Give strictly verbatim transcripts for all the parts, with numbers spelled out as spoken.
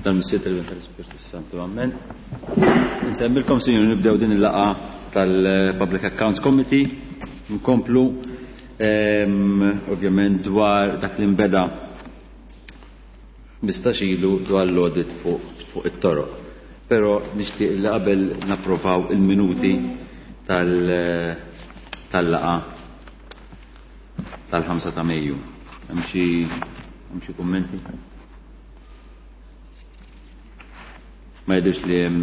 Tal-Missier, tal-Iben, tal-Ispirtu Santu. Amen. Insemmilkom, sinjuri, nibdew din il-laqgħa tal-Public Accounts Committee. Nkomplu ovvjament dwar dak li nbeda ħmistax ilu dwar l-audit fuq fuq it-toroq. Però nixtieq li qabel napprovaw il-minuti tal-laqgħa tal-ħamsa ta' Mejju. Hemm xi hemm xi kummenti? Ma jidhirx li hemm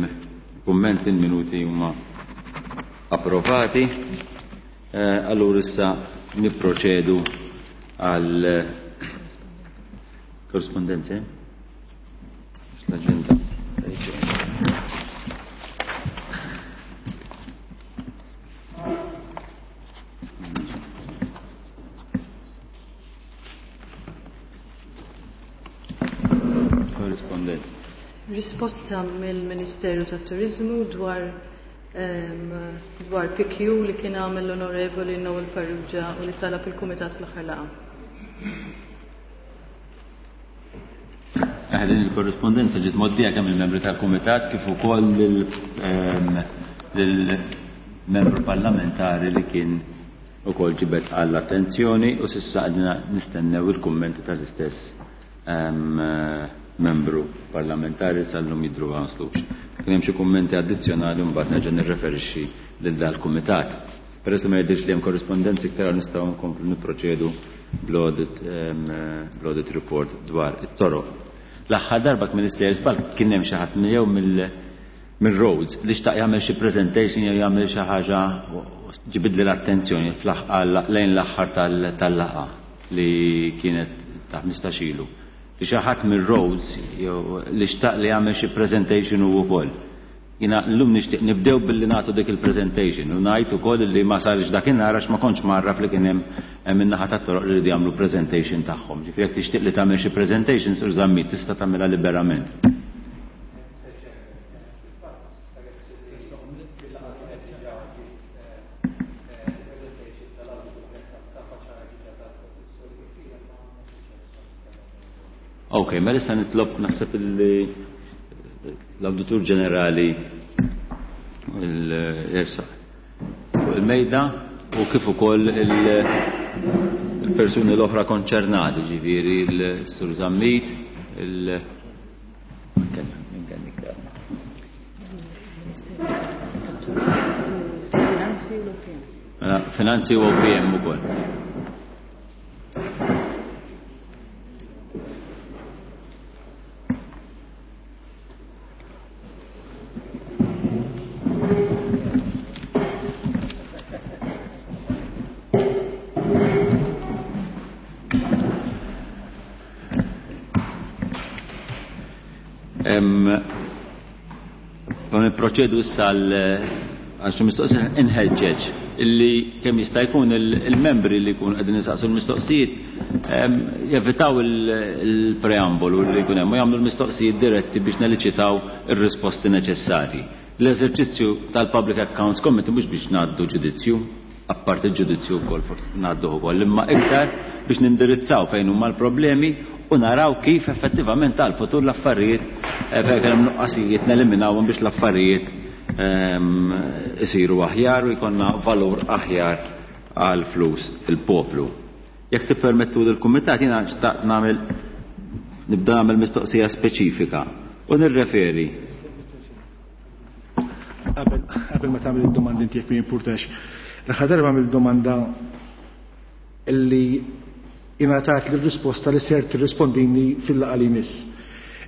kummenti, il-minuti huma approvati. Allura issa nipproċedu għal korrespondenze. L-agenda. Korrespondenza. Risposta mill-Ministeru tat-Turizmu dwar ehm, dwar P Q li kien għamel l-Onorevoli Noel Farrugia u li talab il-Kumitat fl-aħħar laqgħa. Eh, din il-korrespondenza ġiet mgħoddija kemm il-membri tal-Kumitat kif ukoll lill-membru parlamentari li kien ukoll ġibed għall-attenzjoni u s'issa għadna nistennew il-kummenti tal-istess ehm, membru parlamentari, sal-lum jidru ma waslux. Kien hemm xi kummenti addizzjonali mbagħad nerġa' nirreferixxi lil dal-kumitat. Peress li ma jidhirx li hemm korrispondenzi iktar, nistgħu nkomplu nipproċedu bl-audit ehm, bl-audit report dwar it-toroq. L-aħħar darba Minister żball kien hemm xi ħadd jew mill-roads li xtaq jagħmel xi presentation jew jagħmel xi ħaġa, ġibidli l-attenzjoni lejn l-aħħar tal-laqgħa li kienet ta' ħmistax ilu. Li xi ħadd mir-roads jew li xtaq li jagħmel xi presentation hu wkoll. Jiena llum nixtieq nibdew billi nagħtu dik il-presentation u ngħid ukoll li ma sarx dakinhar għax ma kontx mgħarraf li kien hemm min-naħa tat-toroq li jridu jagħmlu presentation tagħhom. Ġifieri jekk tixtieq li tagħmel xi presentation, Sur Zammit, tista' tagħmilha liberament. Ok, mela issa nitlob, naħseb li l-Awditur Ġenerali jersaq fuq il-mejda u kif ukoll il-persuni l-oħra konċernati, ġifieri l-Sur Zammit, il Finanzi u l-O P M. Finanzi u O P M ukoll. Proċedu issa għal xi mistoqsijiet. Inħeġġeġ illi kemm jista' jkun il-membri li jkunu qegħdin jistaqsu l-mistoqsijiet jevitaw il-preambolu li jkun hemm u jagħmlu l-mistoqsijiet diretti biex neliċitaw ir-risposti neċessarji. L-eżerċizzju tal-Public Accounts Committee mhux biex ngħaddu ġudizzju, apparti il-ġudizzju wkoll forsi ngħaddu wkoll, imma iktar biex nindirizzaw fejn huma l-problemi u naraw kif effettivament għal-futur l-affarijiet eh, fejn hemm nuqqasijiet neliminawhom biex l-affarijiet ehm, isiru aħjar u jkollna valur aħjar għal flus il-poplu. Jekk tippermettu lill-kumitat, jiena xtaqt nagħmel nibda nagħmel mistoqsija speċifika u nirreferi. Qabel ma tagħmel id-domanda inti, jekk ma jimpurtax. L-aħħar darba għamilt domanda illi ingħatat l-risposta li ser tirrispondini fil-laqgħa li jmiss.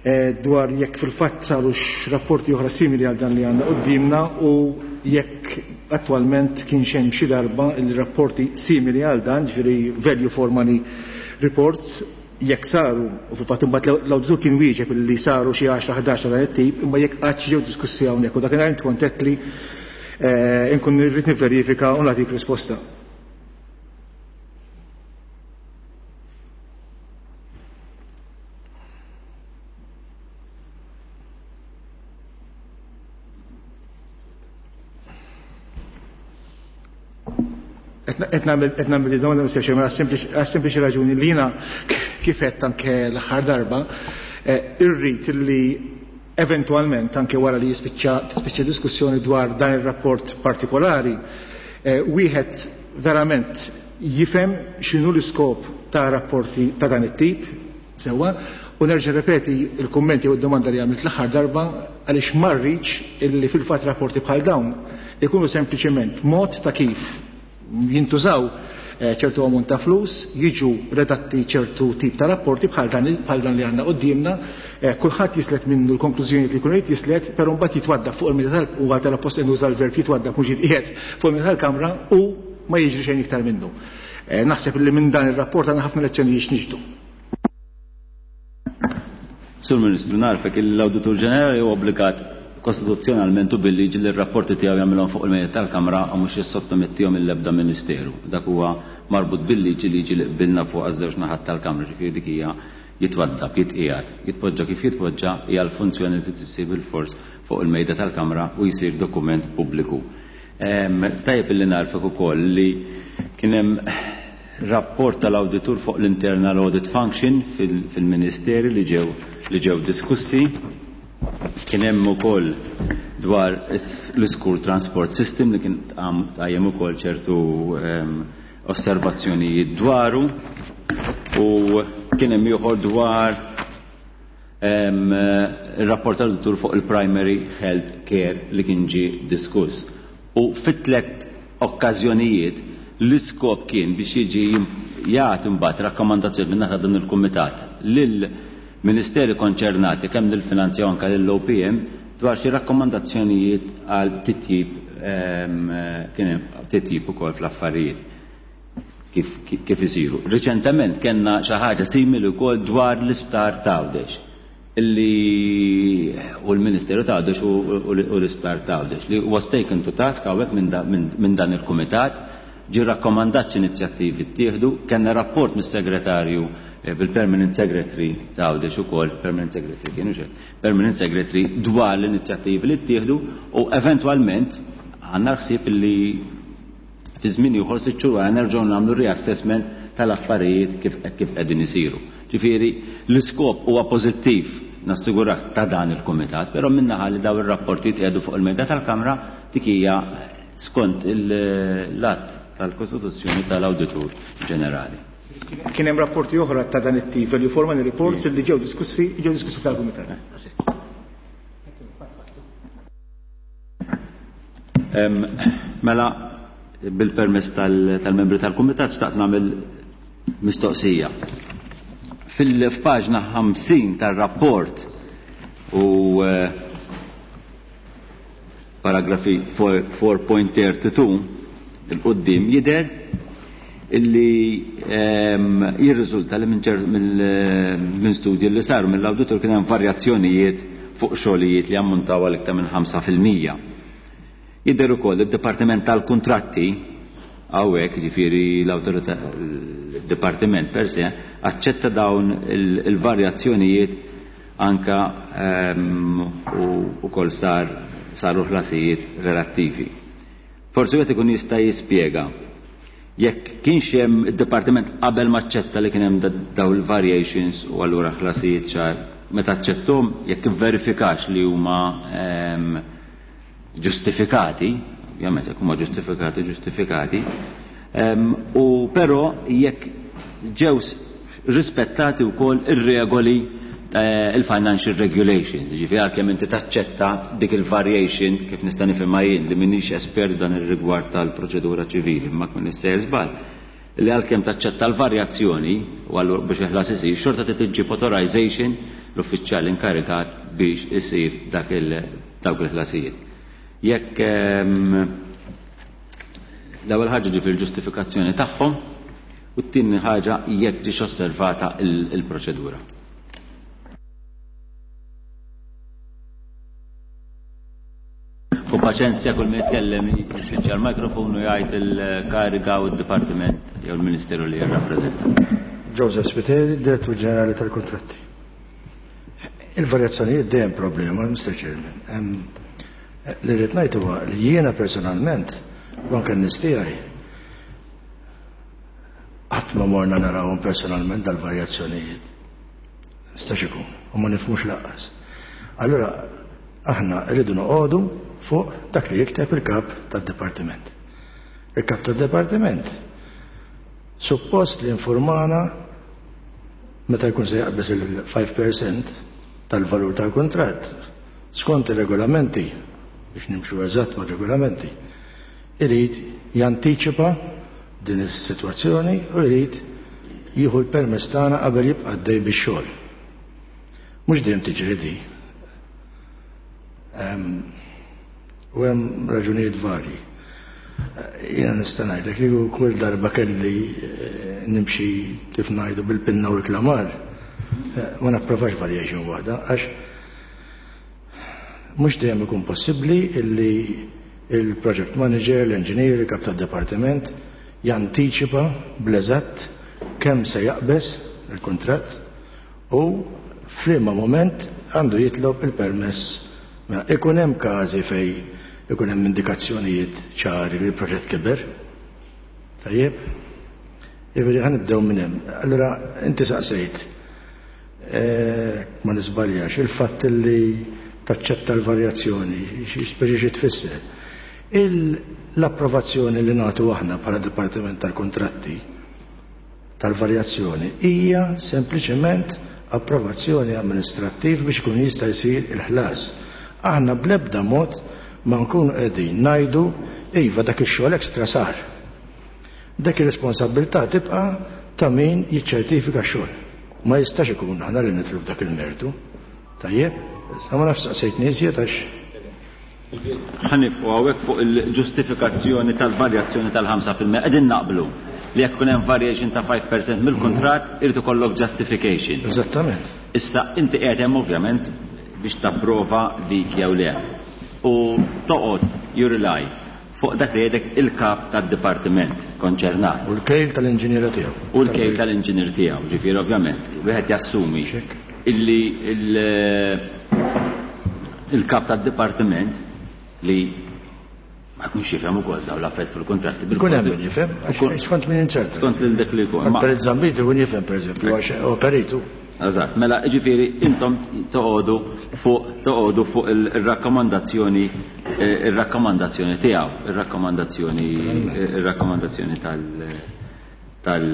Eh, dwar jekk fil-fatt saru rapporti oħra simili għal dan li għandna qudiemna u jekk attwalment kien hemm xi darba il-rapporti simili għal dan, ġifieri value for money reports, jekk saru, u fil-fatt imbagħad l-awditur kien wieġeb li saru xi għaxra ħdax dan it-tip, imma jekk qatt ġew diskussi hawnhekk, u dakinhar int kont li eh, inkun irrid nivverifika u nagħtik risposta. Qed nagħmel domanda Mister Chairman għas-sempliċi raġuni li jiena kif qed anke l-aħħar darba irrid li eventwalment anke wara li jispiċċa tispiċċa diskussjoni dwar dan ir-rapport partikolari wieħed verament jifhem x'inhu l-iskop ta' rapporti ta' dan it-tip sewwa, u nerġa' repeti l-kummenti u d-domanda li għamilt l-aħħar darba għaliex ma rridx illi fil-fatt rapporti bħal dawn ikunu sempliċement mod ta' kif jintużaw ċertu ammont ta' flus, jiġu redatti ċertu tip ta' rapporti bħal dan bħal dan li għandna quddiemna, kulħadd jislet minnu l-konklużjonijiet li jkun irid jislet, però mbagħad jitwadda fuq il-mejda tal u għal tal-appost nuża l-verb jitwadda mhux jitqiegħed fuq il-mejda tal-Kamra u ma jiġri xejn iktar minnu. Naħseb li minn dan ir-rapport għandna ħafna lezzjonijiet x'niġdu. Sur Ministru, narfek l-Awditur Ġenerali huwa obbligat kostituzzjonalment u bil-liġi li r-rapporti tiegħu jagħmilhom fuq il-mejda tal-Kamra u mhux jissottomettihom il-ebda Ministeru. Dak huwa marbut bil-liġi liġi li qbilna fuq għaż-żewġ naħat tal-Kamra, ġifieri dik hija jitwaddab, jitqiegħed, jitpoġġa kif jitpoġġa hija l-funzjoni li tisir bil-fors fuq il-mejda tal-Kamra u jsir dokument pubbliku. Tajjeb illi narfek ukoll li kien hemm rapport tal-awditur fuq l-internal audit function fil-Ministeri li ġew li ġew diskussi. Kien hemm ukoll dwar l-school transport system li kien tqajjem ukoll ċertu osservazzjonijiet dwaru, u kien hemm ieħor dwar ir-rapport tal-awditur fuq il-primary health care li kien ġie diskuss. U fit-tliet okkażjonijiet l-iskop kien biex jiġi jagħti mbagħad rakkomandazzjoni minn naħa dan il-kumitat lil ministeri konċernati kemm lill-finanzja anke lill-O P M dwar xi rakkomandazzjonijiet għal titjib kien hemm titjib ukoll fl-affarijiet kif, kif isiru. Riċentement kellna xi ħaġa simili wkoll dwar l-isptar t'Għawdex illi u l-Ministeru t'Għawdex u l-isptar t'Għawdex li was taken to task hawnhekk minn dan il-kumitat, ġie rakkomandat x'inizjattivi ttieħdu, kellna rapport mis-segretarju bil-Permanent Secretary t'Għawdex ukoll, Permanent Secretary kienu xejn, Permanent Secretary dwar l-inizjattivi li ttieħdu, u eventwalment għandna ħsieb li fi żmien ieħor sitt xhur wara nerġgħu nagħmlu reassessment tal-affarijiet kif kif qegħdin isiru. Ġifieri l-iskop huwa pożittiv nassigurak ta' dan il-kumitat, però min-naħa li daw ir-rapporti jitqiegħdu fuq il-mejda tal-Kamra dik hija skont l-att tal-Kostituzzjoni tal-Awditur Ġenerali. Kien hemm rapporti oħra ta' dan it-tip, value for money reports li ġew diskussi, ġew diskussi tal-Kumitat. Mela, bil-permess tal-membri tal-Kumitat xtaqt nagħmel mistoqsija. Fil-paġna ħamsin tar-rapport u paragrafi four point thirty-two il-qoddim jidher illi jirriżulta li minn studji li saru mill-awditur kien hemm varjazzjonijiet fuq xogħlijiet li ammontaw għal iktar minn ħamsa fil-mija. Jidher ukoll id-Dipartiment tal-Kuntratti hawnhekk, jiġifieri l-awtorità il-Dipartiment per se aċċetta dawn il-varjazzjonijiet anka u wkoll sar saru ħlasijiet relattivi. Forsi wieħed ikun jista' jispjega jekk kienx hemm id-dipartiment qabel ma aċċetta li kien hemm dawn il-variations u allura ħlasijiet ċar meta aċċettom jekk ivverifikax li huma ġustifikati, ovvjament jekk huma ġustifikati, ġustifikati, u però jekk ġew rispettati wkoll ir-regoli il-financial regulations, ġifieri għalkemm inti taċċetta dik il-variation kif nista' nifhimha jien li m'iniex espert dan ir-rigward tal-proċedura ċivili, imma kien nista' żball, li għalkemm taċċetta l-varjazzjoni u allura biex il-ħlas isir, xorta trid iġġib authorization l-uffiċjal inkarikat biex isir dak il dawk il-ħlasijiet. Jekk l-ewwel ħaġa ġifieri l-ġustifikazzjoni tagħhom u t-tieni ħaġa jekk ġiex osservata il-proċedura. U paċenzja kull min jitkellem jisfiċċja l-mikrofon u jgħid il-kariga u d-dipartiment jew il-Ministeru li jirrappreżenta. Joseph Spiteri, Direttur Ġenerali tal-Kuntratti. Il-varjazzjonijiet dejjem problema, Mister Chairman. Li rrid ngħid huwa li jiena personalment u anke n-nies tiegħi Qatt ma morna narawhom personalment dal-varjazzjonijiet. Nistax ikun, u ma nifhmux lanqas. Allura aħna rridu noqogħdu fuq dak li jikteb il-kap tad-dipartiment. Il-kap tad-dipartiment suppost li informana meta jkun se jaqbeż il-five percent tal-valur tal-kuntratt skont ir-regolamenti, biex nimxu eżatt ma' regolamenti, irid jantiċipa din is-sitwazzjoni u jrid jieħu l-permess tagħna qabel jibqa' għaddej bix-xogħol. Mhux dejjem tiġri di. U hemm raġunijiet varji. Jiena nista' ngħidlek li kull darba kelli eh, nimxi, kif ngħidu, bil-pinna u l-klamar, eh, ma napprovax variation waħda, għax mhux dejjem ikun possibbli illi il-project manager, l-engineer, il-kap tad-departiment jantiċipa bl-eżatt kemm se jaqbeż il-kuntratt u f'liema moment għandu jitlob il-permess. Mela, ikun hemm każi fej ikun hemm indikazzjonijiet ċari li l-proġett kiber. Tajjeb? Jiġifieri ħa nibdew minn hemm. Allura inti saqsejt, eh, ma nisbaljax, il-fatt li taċċetta l-varjazzjoni, xi speċi xi tfisser. L-approvazzjoni li nagħtu aħna bħala Dipartiment tal-Kontratti tal-varjazzjoni hija sempliċement approvazzjoni amministrattiv biex ikun jista' jsir il-ħlas. Aħna bl-ebda mod ma nkunu qegħdin ngħidu iva, dak ix-xogħol ekstra sar. Dak ir-responsabilità tibqa' ta' min jiċċertifika x-xogħol. Ma jistax ikun aħna li nidħlu f'dak il-mertu. Tajjeb, sa ma nafx saqsejtni iżjed għax Ħa nieqfu hawnhekk fuq il-ġustifikazzjoni tal-varjazzjoni tal-ħamsa fil-mija. Qegħdin naqblu li jekk ikun hemm variation ta' five percent mill-kuntratt irid ikollok justification. Eżattament. Issa inti qiegħed hemm ovvjament biex tapprova dik jew le. U toqgħod, you rely fuq dak li jgħidek il-kap tad-dipartiment konċernat. U l-kejl tal-inġiniera tiegħu. U l-kejl tal-inġinier tiegħu, ġifieri ovvjament, wieħed jassumi illi il-kap tad-dipartiment li ma jkunx jifhem ukoll dawn l-affarijiet fil-kontratti. Ikun hemm min jifhem, għax skont min inzerta. Skont lil dak li jkun. Ma- Per Zammit ikun jifhem, pereżempju, għax operitu. Eżatt, mela ġifieri intom toqogħdu fuq toqogħdu fuq il-rakkomandazzjoni eh, il-rakkomandazzjoni tiegħu, ir-rakkomandazzjoni ir-rakkomandazzjoni tal tal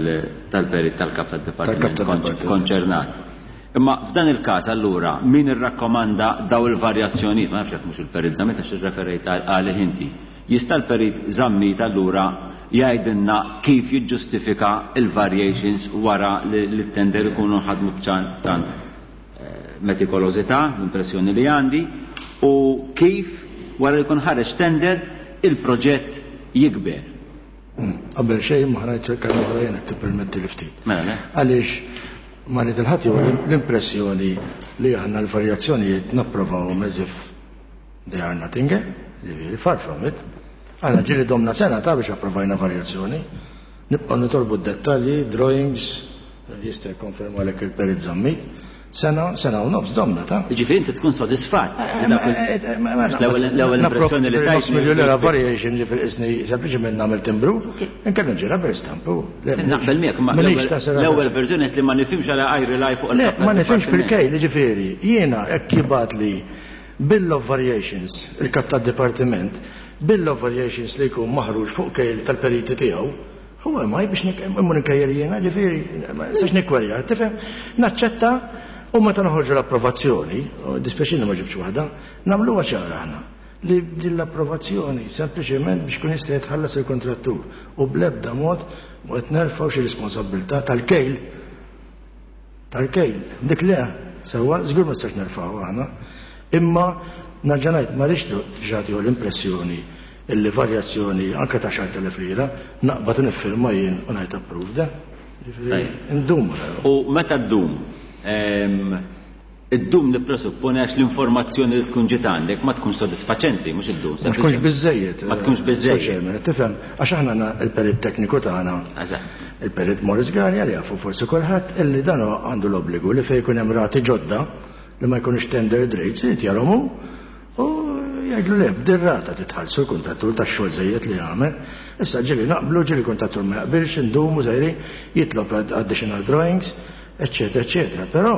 tal-perit tal-kap tad-dipartiment Tal-kap tad-dipartiment. konċernat. Imma f'dan il-każ allura min irrakkomanda daw il-varjazzjonijiet, ma nafx jekk mhux il-perit Zammit, għax irreferejt għalih inti. Jista' l-perit Zammit allura jgħidilna kif jiġġustifika il-variations wara li l-tender ikunu ħadmu b'tant eh, metikolożità, l-impressjoni li għandi, u kif wara li jkun ħareġ tender il-proġett jikber? Mm. Qabel xejn ma ħrajt kelma oħra jien, tippermetti li ftit. Mela, le? Għaliex ma li tilħat jew l-impressjoni li aħna l-varjazzjonijiet napprovawhom as if they are nothing, eh? Ġifieri, far from it. Aħna ġieli domna sena ta' biex approvajna varjazzjoni. Nibqgħu nitolbu d-dettalji, drawings, jista' jikkonferma lek il-perit Zammit. Sena, sena u nofs domna ta' Ġifieri inti tkun sodisfatt li dak il- L-ewwel l-ewwel impressjoni li tajt Miljun lira variation, ġifieri isni sempliċement nagħmel timbru, inkella nġi rubber stamp. Naqbel miegħek, ma l-ewwel verżjoni qed li ma nifhimx għala I rely fuq Le, il-kap ma nifhimx tad-dipartiment. fil-kejl, ġifieri, jiena hekk jibgħat li Bill of Variations, il-kap tad-dipartiment, Bill of Variations li jkun maħruġ fuq kejl tal-periti tiegħu, huwa ma biex immur nkejjel jiena, ġifieri, ma nistax nikkwerja, tifhem? Naċċetta u meta noħorġu l-approvazzjoni, u dispjaċini ma ġibx waħda, nagħmluha ċara aħna li din l-approvazzjoni sempliċement biex kun jista' jitħallas il-kontrattur u bl-ebda mod ma qed nerfgħu xi responsabilità tal-kejl tal-kejl. Dik le, sewwa, żgur ma nistax nerfgħu aħna. Imma nerġa' ngħid, ma rridx ġati l-impressjoni illi varjazzjoni anke ta' għaxart elef lira naqbad u niffirma jien u ngħid approved. Ġifieri, Tajjeb. Indum. U meta ddum, ehm, iddum nippresupponi għax l-informazzjoni li tkun ġiet għandek ma tkunx sodisfaċenti, mhux iddum. Ma tkunx biżejjed. Ma tkunx biżejjed. Chairman, tifhem, għax aħna għandna il-perit tekniku tagħna, Eżatt. il-perit Morris Garja, li jafu forsi kulħadd illi dan għandu l-obbligu li fejn jkun hemm rati ġodda li ma jkunux tender rates irid jarahom hu u Jgħidlu le, b'dir-rata titħallsu l-kuntrattur tax-xogħol żejjed li jagħmel. Issa ġieli naqblu, ġieli kuntrattur ma jaqbilx, indumu żejri, jitlob additional drawings, eċċetera, eċċetera. Però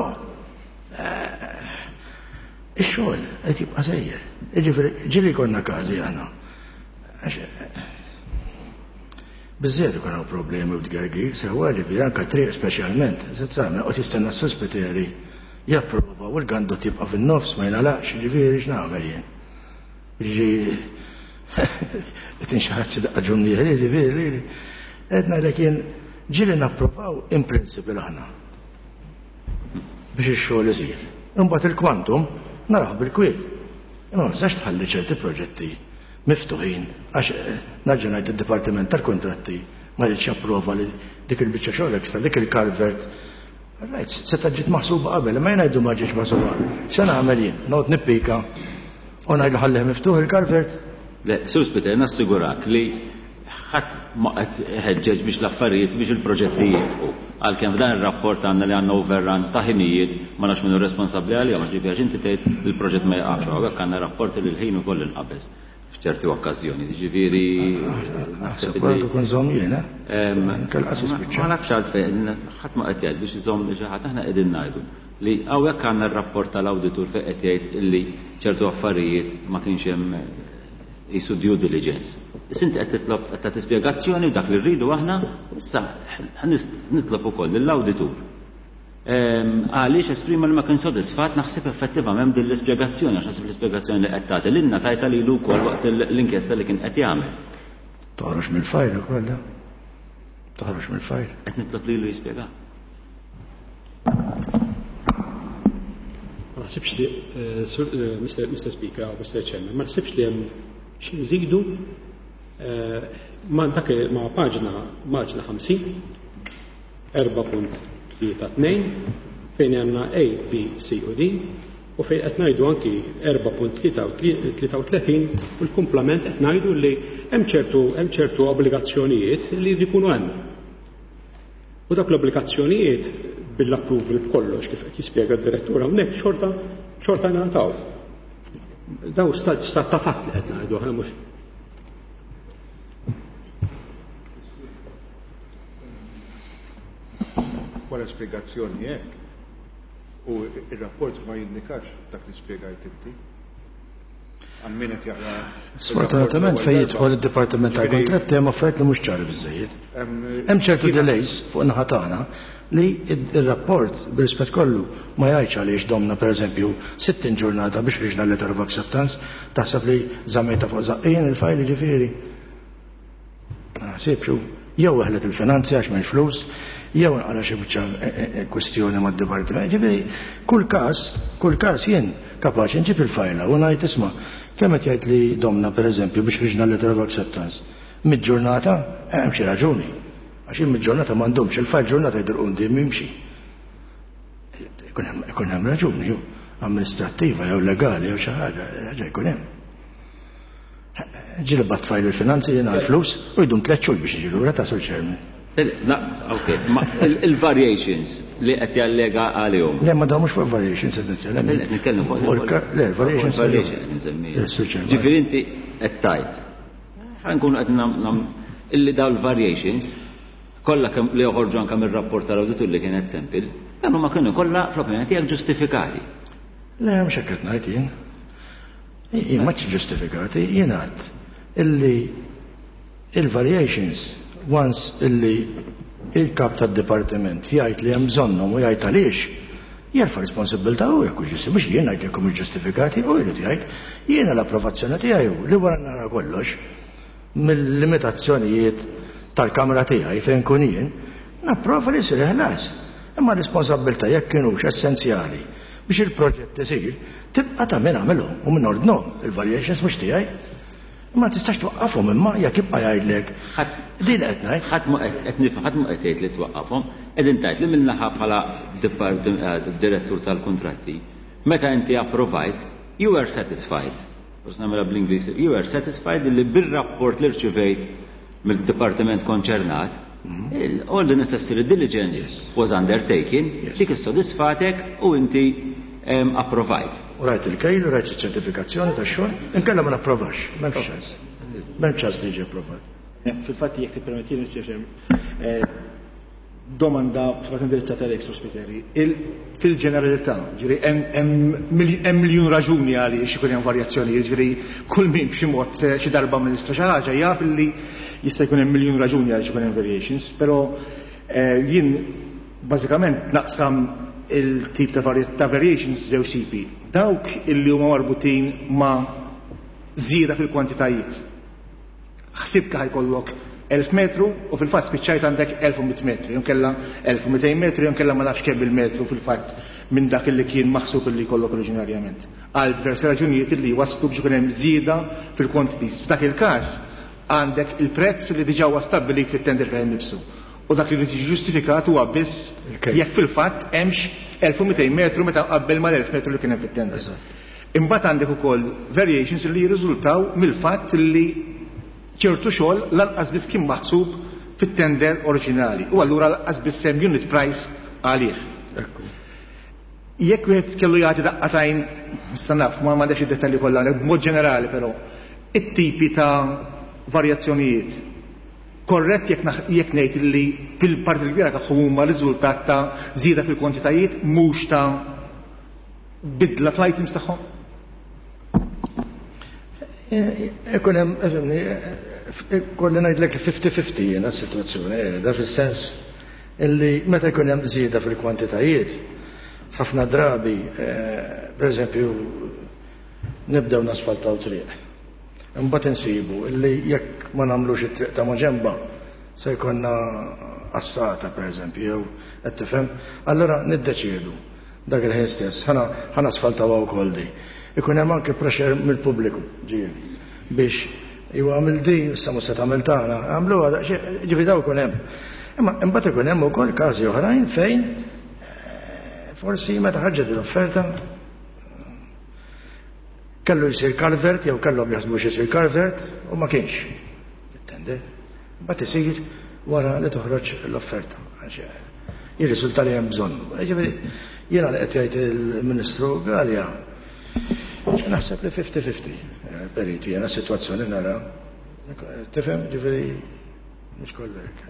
ix-xogħol qed jibqa' sejjer. Jiġifieri ġieli konna każi aħna. Biżżejjed ikun hawn problemi u tgergir, sewwa ġifieri anke triq speċjalment, se tagħmel qed jistenna s-sospiteri japprova u l-gandot jibqa' fin-nofs ma jingħalaqx, ġifieri x'nagħmel jien. Ġifieri qed inxaħat xi daqqa ġumnieri, ġifieri qed ngħidlek jien ġieli napprovaw in principle aħna biex ix-xogħol isir. Imbagħad il-kwantum naraw bil-kwiet. Imma ma tistax tħalli ċerti proġetti miftuħin għax nerġa' ngħid id-Dipartiment tal-Kuntratti ma jridx japprova li dik il-biċċa xogħol extra, dik il-culvert. Right, seta' ġiet maħsuba qabel, imma jien ngħidu ma ġietx maħsuba qabel. X'se nagħmel jien? Noqgħod nippika u ngħidlu ħallih miftuħ il-culvert? Le, Sur Spiteri, nassigurak li ħadd ma qed iħeġġeġ biex l-affarijiet biex il-proġetti jieqfu. Għalkemm f'dan ir-rapport għandna li għandna overrun ta' ħinijiet ma nafx min hu responsabbli għalihom, għax ġifieri inti tgħid li l-proġett ma jaqafx, hawnhekk għandna rapporti li l-ħin ukoll inqabeż f'ċerti okkażjoni. Ġifieri naħseb li kun żomm jiena. Ma nafx għalfejn, ħadd ma qed jgħid biex iżomm li xi ħadd, aħna qegħdin ngħidu li hawnhekk għandna r-rapport tal-awditur fejn qed jgħid illi ċertu affarijiet ma kienx hemm jisu due diligence. Issa inti qed titlob qed tagħti spjegazzjoni dak li rridu aħna, issa nitlob ukoll lill-awditur. Għaliex esprima li ma kien sodisfatt naħseb effettivament din l-ispjegazzjoni, għax naħseb l-ispjegazzjoni li qed tagħti lilna tajta lilu wkoll waqt l-inkjesta li kien qed jagħmel. Toħroġ mill-fajl ukoll. Toħroġ mill-fajl. Qed nitlob lilu jispjega. Ma naħsibx li, Mister Speaker, Mister Chairman, ma naħsibx li hemm xi nżidu ma dak ma paġna paġna ħamsin, erba' punt tlieta tnejn, fejn għandna A, B, C u D, u fejn qed ngħidu anki erba' punt tlieta u tletin u l-kumplament qed ngħidu li hemm ċertu hemm ċertu obbligazzjonijiet li jkunu hemm. U dak l-obbligazzjonijiet bil-approval b'kollox kif qed jispjega d-direttur hawnhekk xorta xorta ngħataw. Daw stat ta' fatt li qed ngħidu aħna mhux. Wara spjegazzjoni hekk u ir-rapport ma jindikax dak li spjegajt inti. Għal min qed jaqra. Sfortunatament fejn jidħol id-Dipartiment tal-Kuntratti hemm affarijiet li mhux ċari biżżejjed. Hemm ċertu delays fuq naħa tagħna li ir-rapport bir-rispett kollu ma jgħidx għaliex domna pereżempju sittin ġurnata biex riġna letter of acceptance, taħseb li żammejta fuq żaqqien il-fajl jiġifieri. Ma naħsibx jew weħlet il-finanzi għax m'hemmx flus, jew nqala xi biċċa kwestjoni mad-dipartiment. Ġifieri kull każ, kull każ jien kapaċi nġib il-fajla u ngħid isma' kemm qed jgħid li domna pereżempju biex riġna letter of acceptance. Mid-ġurnata hemm xi raġuni. Għax il-ġurnata m'għandhomx il-fajl ġurnata jdur quddiem jimxi. Ikun hemm raġuni jew amministrattiva jew legali jew xi ħaġa, ħaġa jkun hemm. Ġieli bat fajl il-finanzi jiena l-flus u jdum tliet xhur biex jiġi lura ta' Sur Chairman. Ok, il-variations li qed jallega għalihom. Le, ma dawn mhux fuq variations qed nitkellem. Qed nitkellem fuq le, variations. Variations qed nsemmi. Ġifieri inti qed tgħid. Ħa nkunu qed nam illi dawn il-variations kollha kemm li joħorġu anke mir-rapport tal-awditur li kienet sempil, dan huma kienu kollha fl-opinjoni tiegħek ġustifikati. Le, mhux hekk qed ngħid jien. Jien ma ġustifikati, jien għedt illi il-variations once illi il-kap tad-dipartiment jgħid li hemm bżonnhom u jgħid għaliex, jerfa' responsabbiltà hu jekk hux mhux jien ngħid jekk mhux ġustifikati, u jrid jgħid jiena l-approvazzjoni tiegħi li wara nara kollox mill-limitazzjonijiet tal-kamra tiegħi fejn kun jien, napprova li jsir ħlas. Imma responsabbiltà jekk kienux essenzjali biex il-proġett isir, tibqa' ta' min għamilhom u min ordnhom, il-variations mhux tiegħi. Ma tistax twaqqafhom imma jekk jibqa' jgħidlek. Din qed ngħid. Ħadd ma qed nifhem, ħadd ma qed jgħid li twaqqafhom, qegħdin tgħid li min-naħa bħala direttur tal-kuntratti, meta inti approvajt, you were satisfied. Forsi nagħmilha bl-Ingliż, you were satisfied li bir-rapport li rċivejt mill-dipartiment konċernat, all the necessary diligence was undertaken, dik issodisfatek u inti approvajt. U rajt il-kejl, u rajt iċ-ċertifikazzjoni tax-xogħol, inkella ma napprovax, m'hemmx ċans. M'hemmx ċans li jiġi approvat. Fil-fatt, jekk tippermettili, Mister domanda fil-fatt indirizzata għalek, Sur Spiteri. Fil-ġeneralità, ġifieri hemm miljun raġuni għaliex ikun hemm varjazzjoni, ġifieri kull min b'xi mod xi darba amministra xi ħaġa jaf li jista' jkun hemm miljun raġuni għaliex ikun hemm variations, però jien bażikament naqsam il-tip ta' variations żewġ tipi. Dawk illi huma marbutin ma' żieda fil-kwantitajiet. Ħsibka ħa jkollok elf metru u fil-fatt spiċċajt għandek elf u mitt metru, jew kella elf u mitejn metru, jew kella ma nafx kemm il-metru fil-fatt minn dak li kien maħsub li jkollok oriġinarjament. Għal diversi raġunijiet li waslu biex ikun hemm żieda fil-quantities. F'dak il-każ għandek il-prezz li diġà huwa stabbilit fit-tender fih nifsu. U dak li jrid jiġi ġustifikat huwa biss jekk fil-fatt hemmx elf u mitejn metru meta qabel mal-elf metru li kien hemm fit-tender. Imbagħad għandek ukoll variations li jirriżultaw mill-fatt li ċertu xogħol lanqas biss kien maħsub fit-tender oriġinali u allura lanqas biss hemm unit price għalih. Jekk wieħed kellu jagħti daqqa t'għajn, issa naf ma m'għandekx id-dettalji kollha, b'mod ġenerali però, it-tipi ta' varjazzjonijiet, korrett jekk ngħid li fil-parti l-kbira tagħhom huma riżultat ta' żieda fil-kwantitajiet, mhux ta' bidla fl-items tagħhom? Ikun hemm, ifhimni, kolli ngħidlek fifty fifty jiena s-sitwazzjoni, da fis-sens illi meta jkun hemm żieda fil-kwantitajiet, ħafna drabi, pereżempju, nibdew nasfaltaw triq. Imbagħad insibu illi jekk ma nagħmlux it-triq ta' maġenba se jkollna assata, pereżempju, jew qed tifhem, allura niddeċiedu dak il-ħin stess, ħa nasfaltaw wkoll di. Ikun hemm anke pressure mill-pubbliku ġieli biex ju għamil di, issa mhux se tagħmel tagħna, għamluha ġifieri daw ikun hemm. Imma imbagħad ikun hemm ukoll każi oħrajn fejn forsi meta ħarġet l-offerta kellu jsir culvert jew kellhom jaħsbu xi culvert u ma kienx. Tender. Mbagħad isir wara li toħroġ l-offerta. Jirriżulta li hemm bżonn. Ġifieri jiena li qed jgħid il-Ministru Galea, naħseb li fifty fifty, periti, jiena s-sitwazzjoni nara. Tifhem, ġifieri mhux kollek.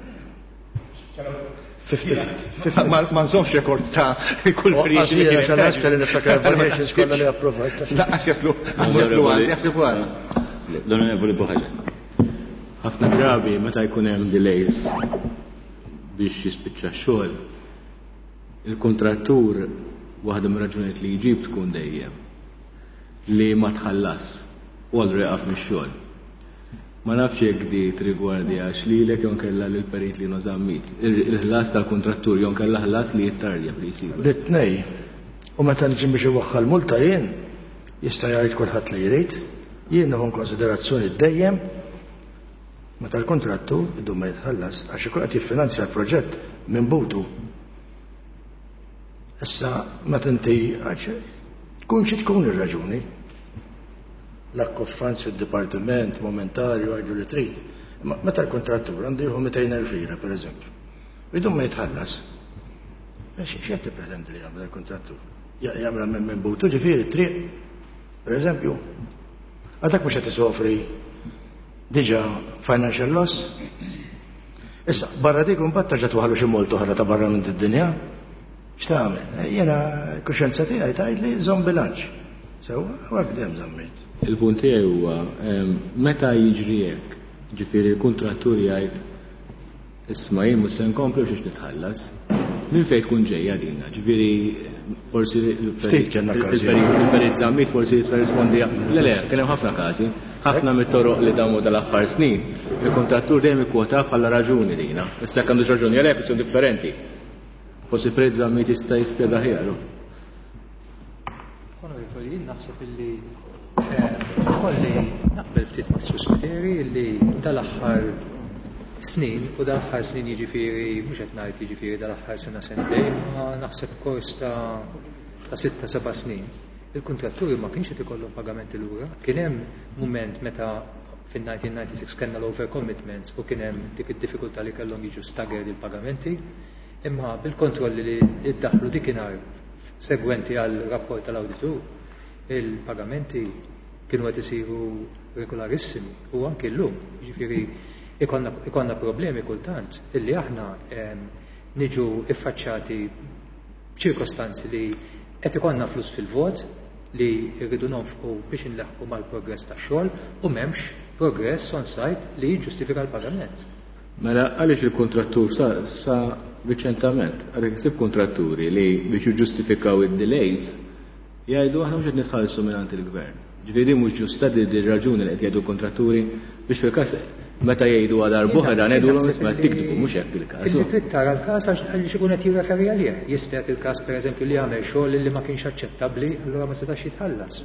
fifty fifty. Ma nżomx rekord ta' kull variation. Għax kelli niftakar variations kollha li approvajt. Lanqas jaslu, jaslu għandi, jaħseb għara. L-Onorevoli Buhaġar. Ħafna drabi meta jkun hemm delays biex jispiċċa x-xogħol, il-kontrattur waħda mir-raġunijiet li jġib tkun dejjem li ma tħallas u allura jaqaf mix-xogħol. Ma nafx jekk di trigwardi għax lilek jew kella lil perit li Zammit. Il-ħlas tal-kontrattur jew kella ħlas li jittardja bli jsiru. L-tnej. U meta niġi biex iwaħħal multa jien, jista' jgħid kulħadd li jrid, jien nieħu konsiderazzjoni dejjem meta l-kontrattur idum ma jitħallas, għax ikun qed jiffinanzja l-proġett minn butu. Issa meta inti għax tkun xi tkun ir-raġuni. Lack of funds fid-dipartiment momentarju, għajdu li trid. Ma meta l-kontrattur għandu jieħu mitejn elf lira, pereżempju, u jdum ma jitħallas. X'qed tippretendi li jagħmel il-kontrattur? Jagħmel minn minn butu, ġifieri triq, pereżempju. Għadak mhux qed isofri diġà financial loss. Issa, barra dik imbagħad terġa' twaħlu xi multa oħra ta' barra minn id-dinja. X'tagħmel? Jiena kuxjenza tiegħi tgħid li żomm bilanċ. Sewwa, u hekk dejjem żammejt. Il-punt tiegħi huwa meta jiġri hekk, ġifieri l-kuntrattur jgħid, "Isma', jien mhux se nkompli biex nitħallas." Minn fejn tkun ġejja dina? Ġifieri forsi Ftit kellna każi. il-perit Zammit forsi jista' rispondi. Le le, kien hemm ħafna każi. Ħafna mit-toroq li damu dal-aħħar snin, il-kontrattur dejjem ikkwota bħala raġuni dina. Issa jekk għandux raġuni għalhekk ikun differenti. Forsi perit Zammit jista' jispjega aħjar. Onorevoli, jien naħseb illi kolli naqbel ftit ma' Spiteri illi dal-aħħar snin, u dal-aħħar snin jiġifieri mhux qed ngħid jiġifieri dal-aħħar sena sentejn, ma naħseb kors ta' ta' sitta seba' snin. Il-kontratturi ma kienx qed ikollhom pagamenti lura. Kien hemm mument meta fin-elf disa' mija u disgħa u disgħin kellna l-overcommitments u kien hemm dik id-diffikultà li kellhom jiġu staggered il-pagamenti, imma bil-kontrolli li iddaħlu dikinhar segwenti għal rapport tal-awditur, Il-pagamenti kienu qed isiru regolarissimi u anki llum, jiġifieri ikollna problemi kultant illi aħna niġu iffaċċati b'ċirkostanzi li qed ikollna flus fil-vot li rridu nonfqu biex inleħqu mal-progress tax-xogħol u m'hemmx progress on site li jiġġustifika l-pagament. Mela għaliex il-kontrattur sa, sa riċentament, għalhekk issib kontratturi li biex jiġġustifikaw id-delays jgħidu aħna mhux qed nitħallsu mingħand il-gvern. Ġifieri mhux ġusta di raġuni li qed jgħidu kontratturi biex fil-każ meta jgħidu għal darb'oħra ngħidulhom isma' tiktbu mhux hekk il-każ. Inti trid tara l-każ għaliex ikun qed jirreferi għalih. Jista' jagħti il-każ pereżempju li jagħmel xogħol li ma kienx aċċettabbli, allura ma setax jitħallas.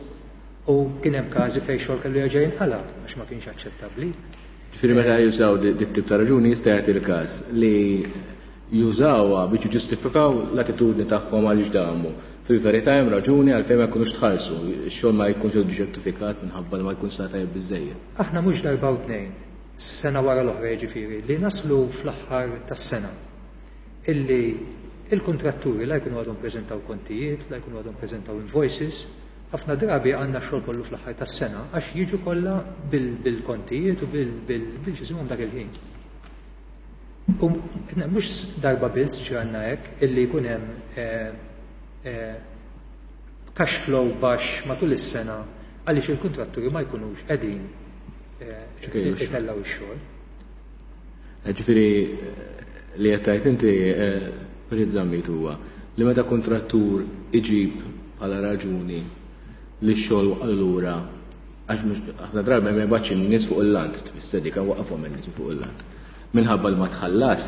U kien hemm każi fejn xogħol kellu jerġa' jinqala' għax ma kienx aċċettabbli. Ġifieri meta jużaw dit tip ta' raġuni jista' jagħti il-każ li jużawha biex jiġġustifikaw l-attitudni tagħhom għaliex damu. Fil-verità hemm raġuni għalfejn ma jkunux tħallsu, ix-xogħol ma jkunx ġustifikat minħabba li ma jkunx sar tajjeb biżżejjed. Aħna mhux darba u tnejn, sena wara l-oħra jiġifieri, li naslu fl-aħħar tas-sena illi il-kontratturi la jkunu għadhom preżentaw kontijiet, la jkunu għadhom preżentaw invoices, ħafna drabi għandna xogħol kollu fl-aħħar tas-sena għax jiġu kollha bil-kontijiet u bil-xisimhom dak il-ħin. U mhux darba biss ġranna hekk illi jkun hemm cash flow baxx matul is-sena għaliex il-kontratturi ma jkunux qegħdin itellgħu x-xogħol. Ġifieri li qed tgħid inti Perit Zammit huwa li meta kontrattur iġib bħala raġuni li x-xogħol allura għax ħafna drabi ma jibgħatx in-nies fuq il-lant, tfisser dik waqafhom in-nies fuq il-lant. Minħabba li ma tħallas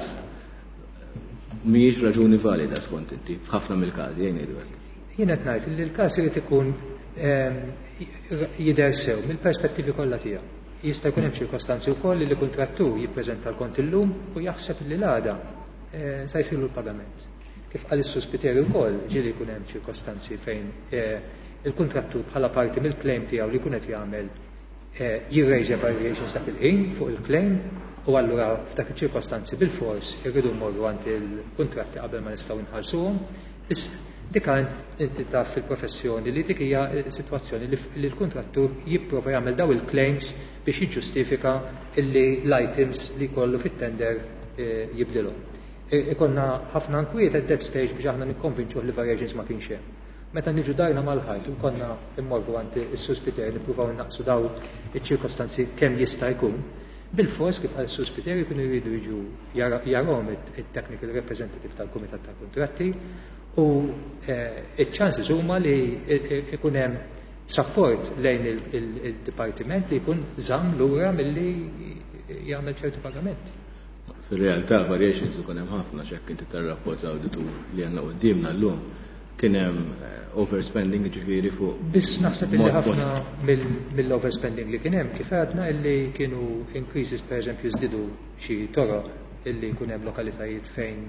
mhijiex raġuni valida skont inti f'ħafna mill-każi jgħin ngħidu hekk. Jien qed ngħid li l-każ irid ikun jidher sew mill-perspettivi kollha tiegħu. Jista' jkun hemm ċirkostanzi wkoll li l-kuntrattur jippreżenta l-kont illum u jaħseb li l-għada sa jsiru l-pagament. Kif qal is-Sur Spiteri wkoll ġieli jkun hemm ċirkostanzi fejn il-kuntrattur bħala parti mill-claim tiegħu li jkun qed jagħmel jirrejżja variations dak il-ħin fuq il-claim u allura f'dak iċ-ċirkostanzi bil-fors irridu mmorru għand il-kuntratti qabel ma nistgħu nħallsuhom. Dik inti taf fil-professjoni li dik hija sitwazzjoni li l-kuntrattur jipprova jagħmel daw il-claims biex jiġġustifika illi l-items li jkollu fit-tender jibdilhom. Ikonna ħafna nkwiet at that stage biex aħna nikkonvinċuh li variations ma kienx hemm. Meta niġu dajna mal-ħajt u konna immorru għand is-Sur Spiteri nippruvaw innaqsu daw iċ-ċirkostanzi kemm jista' jkun, bil-fors kif qal is-Sur Spiteri jkunu jridu jiġu jarahom it-technical representative tal-Kumitat tal-Kuntratti u iċ-chances huma li ikun hemm support lejn il-dipartiment li jkun żamm lura milli jagħmel ċertu pagamenti. Fil-realtà variations ikun hemm ħafna x'hekk inti tar-rapport l-awditur li għandna quddiemna llum kien hemm overspending ġifieri fuq. Biss naħseb illi ħafna mill-overspending li kien hemm kif għadna illi kienu increases pereżempju żdiedu xi toroq illi jkun hemm lokalitajiet fejn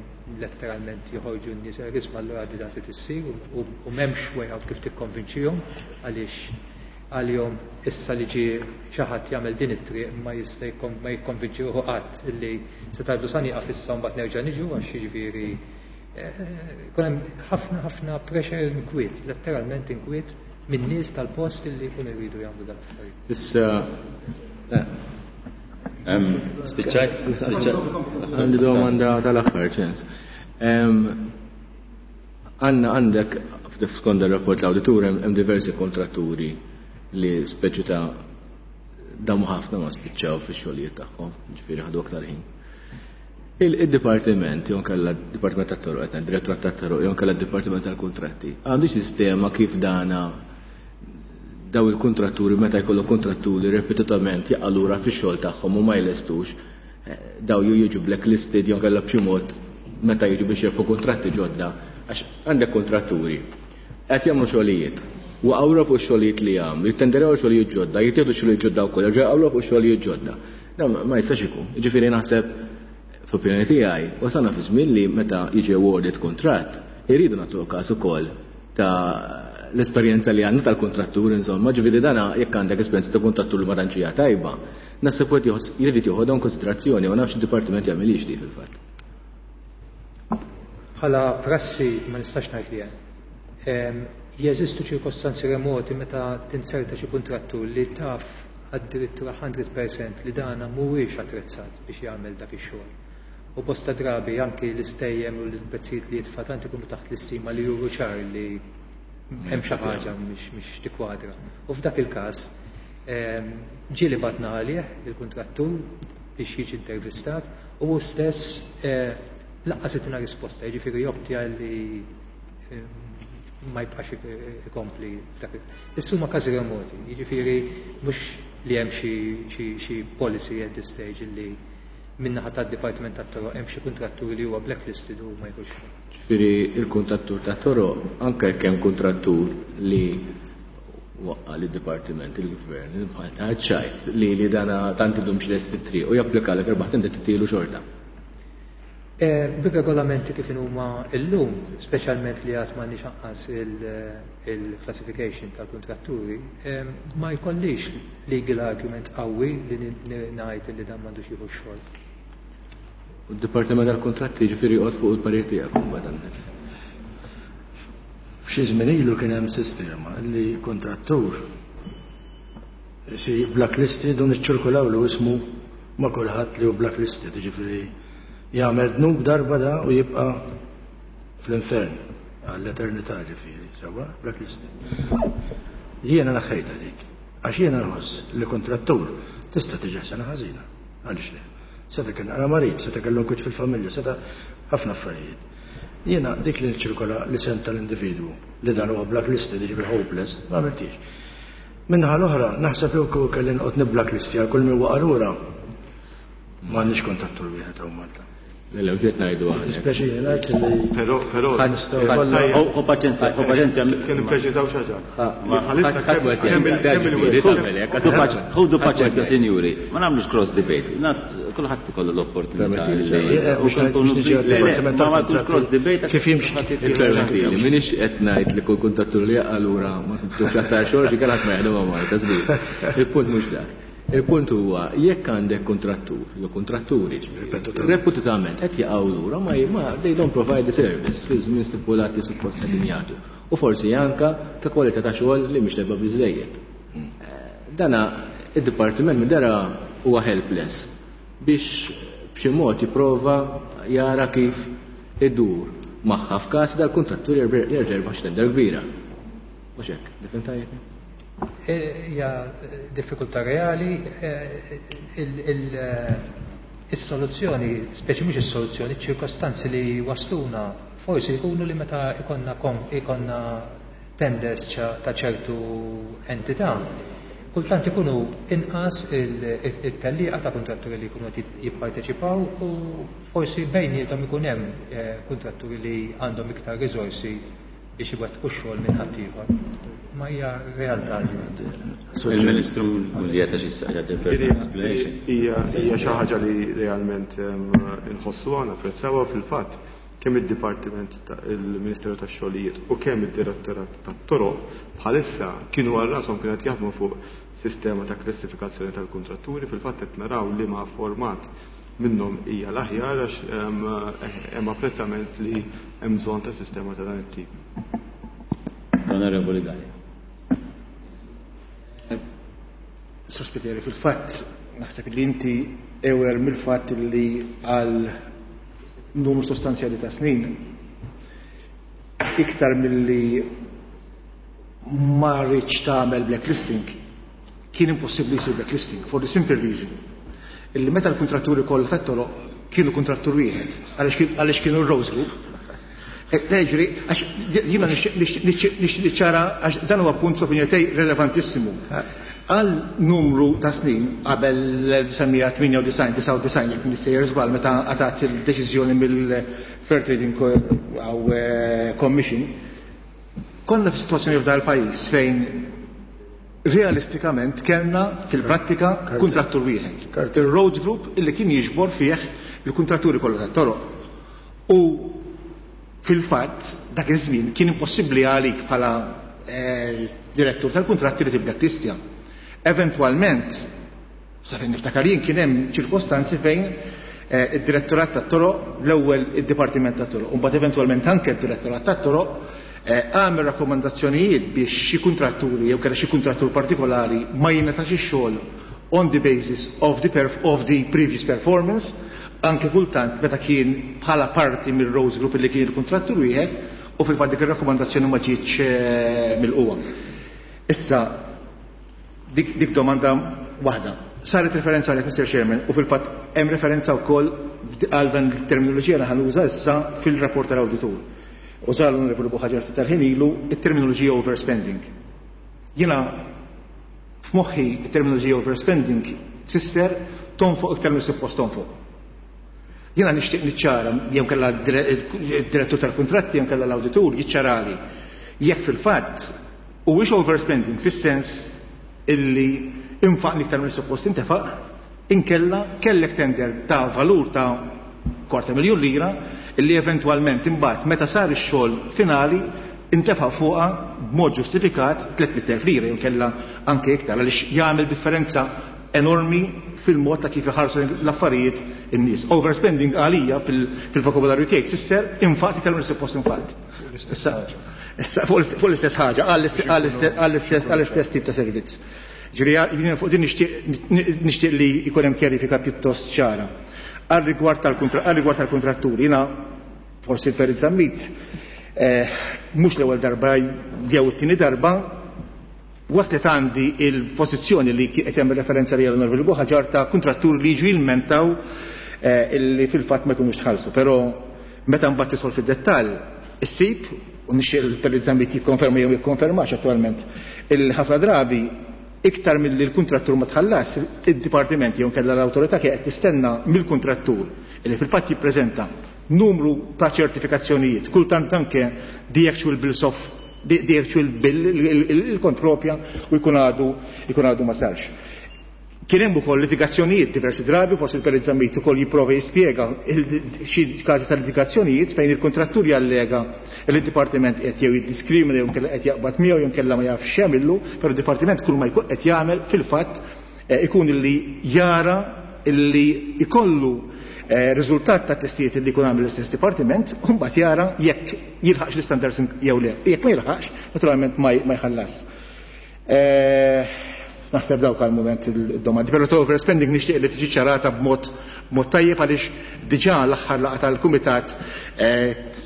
letteralment joħorġu n-nies isma' allura di dati tissir u m'hemmx way out kif tikkonvinċihom għaliex għalihom issa li ġie xi ħadd jagħmel din it-triq ma jista' ma jikkonvinċi ruħu qatt illi se tgħidlu sa nieqaf issa mbagħad nerġa' niġu għax jiġifieri jkun hemm ħafna ħafna pressure inkwiet, letteralment inkwiet minn nies tal-post illi jkunu jridu jagħmlu dan l-affarijiet. Issa Spiċċajt? Għandi domanda tal-aħħar ċens. Għanna għandek skont ir-rapport l-awditur hemm diversi kontratturi li speċi ta' damu ħafna ma spiċċaw fix-xogħlijiet tagħhom, ġifieri ħadu aktar ħin. Il-dipartiment, jew kellha d-Dipartiment tat-Toroq, qed Direttorat tat-Toroq, jew kellha d-Dipartiment tal-Kuntratti, għandu sistema kif dana daw il-kontratturi meta jkollu kontratturi ripetutament jaqalura fix-xogħol tagħhom u ma jlestux, daw ju jiġu blacklisted jew kellha b'xi mod meta jiġu biex jirbħu kontratti ġodda, għax għandek kontratturi qed jagħmlu xogħlijiet, waqgħu fuq xogħlijiet li jagħmlu, jittenderaw xogħlijiet ġodda, jittieħdu xogħlijiet ġodda wkoll, jerġgħu jaqgħu fuq xogħlijiet ġodda. Dan ma jistax ikun. Jiġifieri naħseb f'opinjoni tiegħi wasalna fi żmien li meta jiġi awarded kuntratt iridu nagħtu każ ukoll ta' l-esperjenza li għandna tal-kontrattur, insomma, ġifieri dana jekk għandek esperjenza ta' kontrattur li ma tantx hija tajba, naħseb wieħed jrid joħodha konsiderazzjoni ma nafx id-dipartiment jagħmilix di fil-fatt. Bħala prassi ma nistax ngħid li hemm. Jeżistu ċirkostanzi remoti meta tinserta xi kuntrattur li taf addirittura mija fil-mija li dana mhuwiex attrezzat biex jagħmel dak ix-xogħol. U bosta drabi anki l-istejjem u l-prezzijiet li jitfa' tant ikunu taħt l-istima li juru ċar li hemm xi ħaġa mhix mhix tikwadra. U f'dak il-każ ehm, ġieli bgħatna għalih il-kuntrattur biex jiġi intervistat u hu stess eh, lanqas itina risposta, jiġifieri jopti għalli eh, ma jibqax ikompli f'dak il. Issa huma każi remoti, jiġifieri mhux li hemm xi xi xi policy at this stage li min-naħa tad-Dipartiment tat-Toroq hemm xi kuntratturi li huwa blacklisted u ma jkunx. Ġifieri il-kuntrattur ta' toroq, anke jekk hemm kuntrattur li waqqa li dipartiment il-gvern, il-Malta ċajt li li dana tant idum lest it-triq u japplika l erbaħ tinti titilu xorta. Eh, Bir-regolamenti kif huma illum, speċjalment li għad m'għandniex anqas il-classification tal-kontratturi, eh, ma jkollix legal argument qawwi li ngħid li dan m'għandux jieħu x-xogħol. U d-Dipartiment tal-Kontratti ġifieri joqgħod fuq il-parir tiegħek imbagħad għandek. F'xi żmien ilu kien hemm sistema li kontrattur si blacklisted u niċċirkulaw lu ismu ma' kulħadd li hu blacklisted, jiġifieri jagħmel dnub darba da u jibqa' fl-infern għall-eternità, ġifieri, sewwa blacklisted. Jiena naħħejta dik, għax jiena nħoss li kontrattur tista' tiġi sena ħażina. Għaliex le? Seta' kien għara marid, seta' kellu nkwiet fil-familja, seta' ħafna affarijiet. Jiena dik li nċirkola l-isem tal-individwu li dan huwa blacklisted, jiġifieri hopeless, ma għamiltix. Min-naħa l-oħra, naħseb li wkoll kelli noqgħod nibblacklistja għal kull min waqa' lura. M'għandniex kontattur wieħed hawn Malta. Le, le, mhux ngħidu aħna. Dispjaċini ngħid li Però, però, Ħu paċenzja, ħu paċenzja. Kien ippreċiżaw xi ħaġa. Ma- Bħalissa kemm kemm il- kemm il- Ħudu paċenzja, sinjuri, ma nagħmlux cross debate. Kulħadd ikollu l-opportunità. Eh, biex ngħid- biex niġi għad-Dipartiment Ma ma nkunx cross debate. Kif jimxi. Il-permettili, minix qed ngħid li kull kuntattur li jaqa' lura ma tux aktar xogħol xi kellek ma jaħdem ma' Malta żgur. Il-punt mhux dak. Il-punt huwa jekk għandek kontrattur jew kontratturi ripetutament qed jaqgħu lura, ma ma they don't provide the service fi żmien stipulat li suppost qegħdin jagħtu. U forsi anka ta' kwalità ta' xogħol li mhix tajba biżejjed. Dana id-dipartiment minn dara huwa helpless biex b'xi mod jipprova jara kif idur magħha f'każ dal-kontrattur jerġa' jerbaħ xi tender kbira. Mhux hekk, nifhem tajjeb? Hija diffikultà reali, eh, il- il- eh, is-soluzzjoni, speċi mhux is-soluzzjoni, ċirkostanzi li wasluna forsi jkunu li meta ikonna kom- ikonna tenders ċa- ta' ċertu entità, kultant ikunu inqas il-tellieqa ta' kontratturi li jkunu qed jipparteċipaw u forsi bejniethom ikun hemm eh, kontratturi li għandhom iktar riżorsi biex iwettqu x-xogħol minn ħaddieħor. Ma hija realtà li Il-Ministru Muglietta xi jagħti personal explanation. Hija hija xi ħaġa li realment em, inħossuha, napprezzawha. Fil-fatt kemm id-Dipartiment il-Ministeru tax-Xogħlijiet u kemm id-Direttorat tat-Toroq bħalissa kienu għal rashom kienu qed jaħdmu fuq sistema ta' klassifikazzjoni tal-kontratturi. Fil-fatt qed naraw li ma format minnhom hija l-aħjar għax em, hemm apprezzament li hemm bżonn ta' sistema ta' dan it-tip. Onorevoli Galea. Sur Spiteri, fil-fatt, naħseb li inti aware mill-fatt li għal numru sostanzjali ta' snin, iktar milli ma rridx tagħmel blacklisting, kien impossibbli jsir blacklisting for the simple reason illi meta l-kontratturi kollha tat-toroq kienu kontrattur wieħed għaliex kienu r-Roads Group. Leġri, għax jiena nixtieq niċċara għax dan huwa punt fl-opinjoni tiegħi relevantissimu. Għal numru ta' snin qabel l-elf disa' mija tmienja u disgħin, disgħa u disgħin, jekk nissejjer żball, meta għatat il-deċiżjoni mill-Fair Trading Commission, konna f'sitwazzjoni f'dal pajjiż fejn realistikament kellna fil-prattika kontrattur wieħed. Il-Road Group illi kien jiġbor fih il-kontratturi kollha tat-toroq. U fil-fatt dak iż-żmien kien impossibbli għalik bħala eh, direttur tal-kontratti li tibblacklistja. Eventualment, sa fejn niftakar jien, kien hemm ċirkostanzi fejn eh, id-direttorat tat-toroq, l-ewwel id-dipartiment tat-toroq, u mbagħad eventwalment anke id-direttorat tat-toroq Għamel rakkomandazzjonijiet biex xi kuntratturi jew kellha xi kuntrattur partikolari ma jingħatax ix-xogħol on the basis of the, perf of the previous performance, anke kultant meta kien bħala parti mill-Rose Group li kien il-kuntrattur wieħed, u fil-fatt dik ir-rakkomandazzjoni ma ġietx mill-qwa. Issa dik, dik domanda waħda. Saret referenza għalek, Mister Chairman, u fil-fatt hemm referenza wkoll għal dan il-terminoloġija li ħa nuża issa fil-rapport tal-awditur. Uża l-Onorevoli Buhagiar tal-ħin ilu it-terminoloġija overspending. Jiena f'moħħi it-terminoloġija overspending tfisser tonfoq iktar mill suppost tonfoq. Jiena nixtieq niċċara, jew kellha d-direttur tal-kuntratti jew kellha l-awditur jiċċarali jekk fil-fatt huwiex overspending fis-sens illi infaq iktar mill suppost intefaq, inkella kellek tender ta' valur ta' kwarta miljun lira illi eventwalment imbagħad meta sar ix-xogħol finali intefa' fuqha b'mod ġustifikat tliet mitt elf lira jew kellha anke iktar, għaliex jagħmel differenza enormi fil-mod ta' kif iħarsu l-affarijiet in-nies. Overspending għalija fil-vokabularju tiegħi tfisser infaq iktar minn suppost infaq. Issa, issa fuq l-istess ħaġa, għall-istess tip ta' servizz. Ġifieri fuq din nixtieq li jkun hemm kjarifika pjuttost ċara. Għal rigward tal-kontratturi, jiena forsi l-Perit Zammit mhux l-ewwel darba jew it-tieni darba waslet għandi il-pożizzjoni li qed jagħmel referenza li l-Onorevoli Buhagiar ta' kontratturi li jiġu jilmentaw illi fil-fatt ma jkunux tħallsu. Però meta mbagħad tidħol fid-dettall issib, u nixtieq il-Perit Zammit jikkonferma jew jikkonfermax attualment, il-ħafna drabi iktar milli l-kuntrattur ma tħallas, id-dipartiment jew kellha l-awtorità kien qed tistenna mill-kuntrattur illi fil-fatt jippreżenta numru ta' ċertifikazzjonijiet, kultant anke the actual bills of the actual bill, il-kont propja, u jkun għadu jkun għadu ma sarx. Kien hemm ukoll litigazzjonijiet diversi drabi, forsi il-Perit Zammit ukoll jipprova jispjega xi każi ta' litigazzjonijiet fejn il-kontrattur jallega li d-dipartiment qed jew jiddiskrimina jew inkella qed jaqbad miegħu jew inkella ma jafx x'jagħmillu, però d-dipartiment kull ma jkun qed jagħmel fil-fatt ikun illi jara illi ikollu riżultat ta' testijiet li jkun għamel l-istess dipartiment, u mbagħad jara jekk jilħaqx l-istandards jew le. Jekk ma jilħaqx, naturalment ma jħallas. Naħseb dawk għal moment il-domandi. Però ta' overspending nixtieq li tiġi ċarata b'mod mod tajjeb għaliex diġà l-aħħar laqgħa tal-kumitat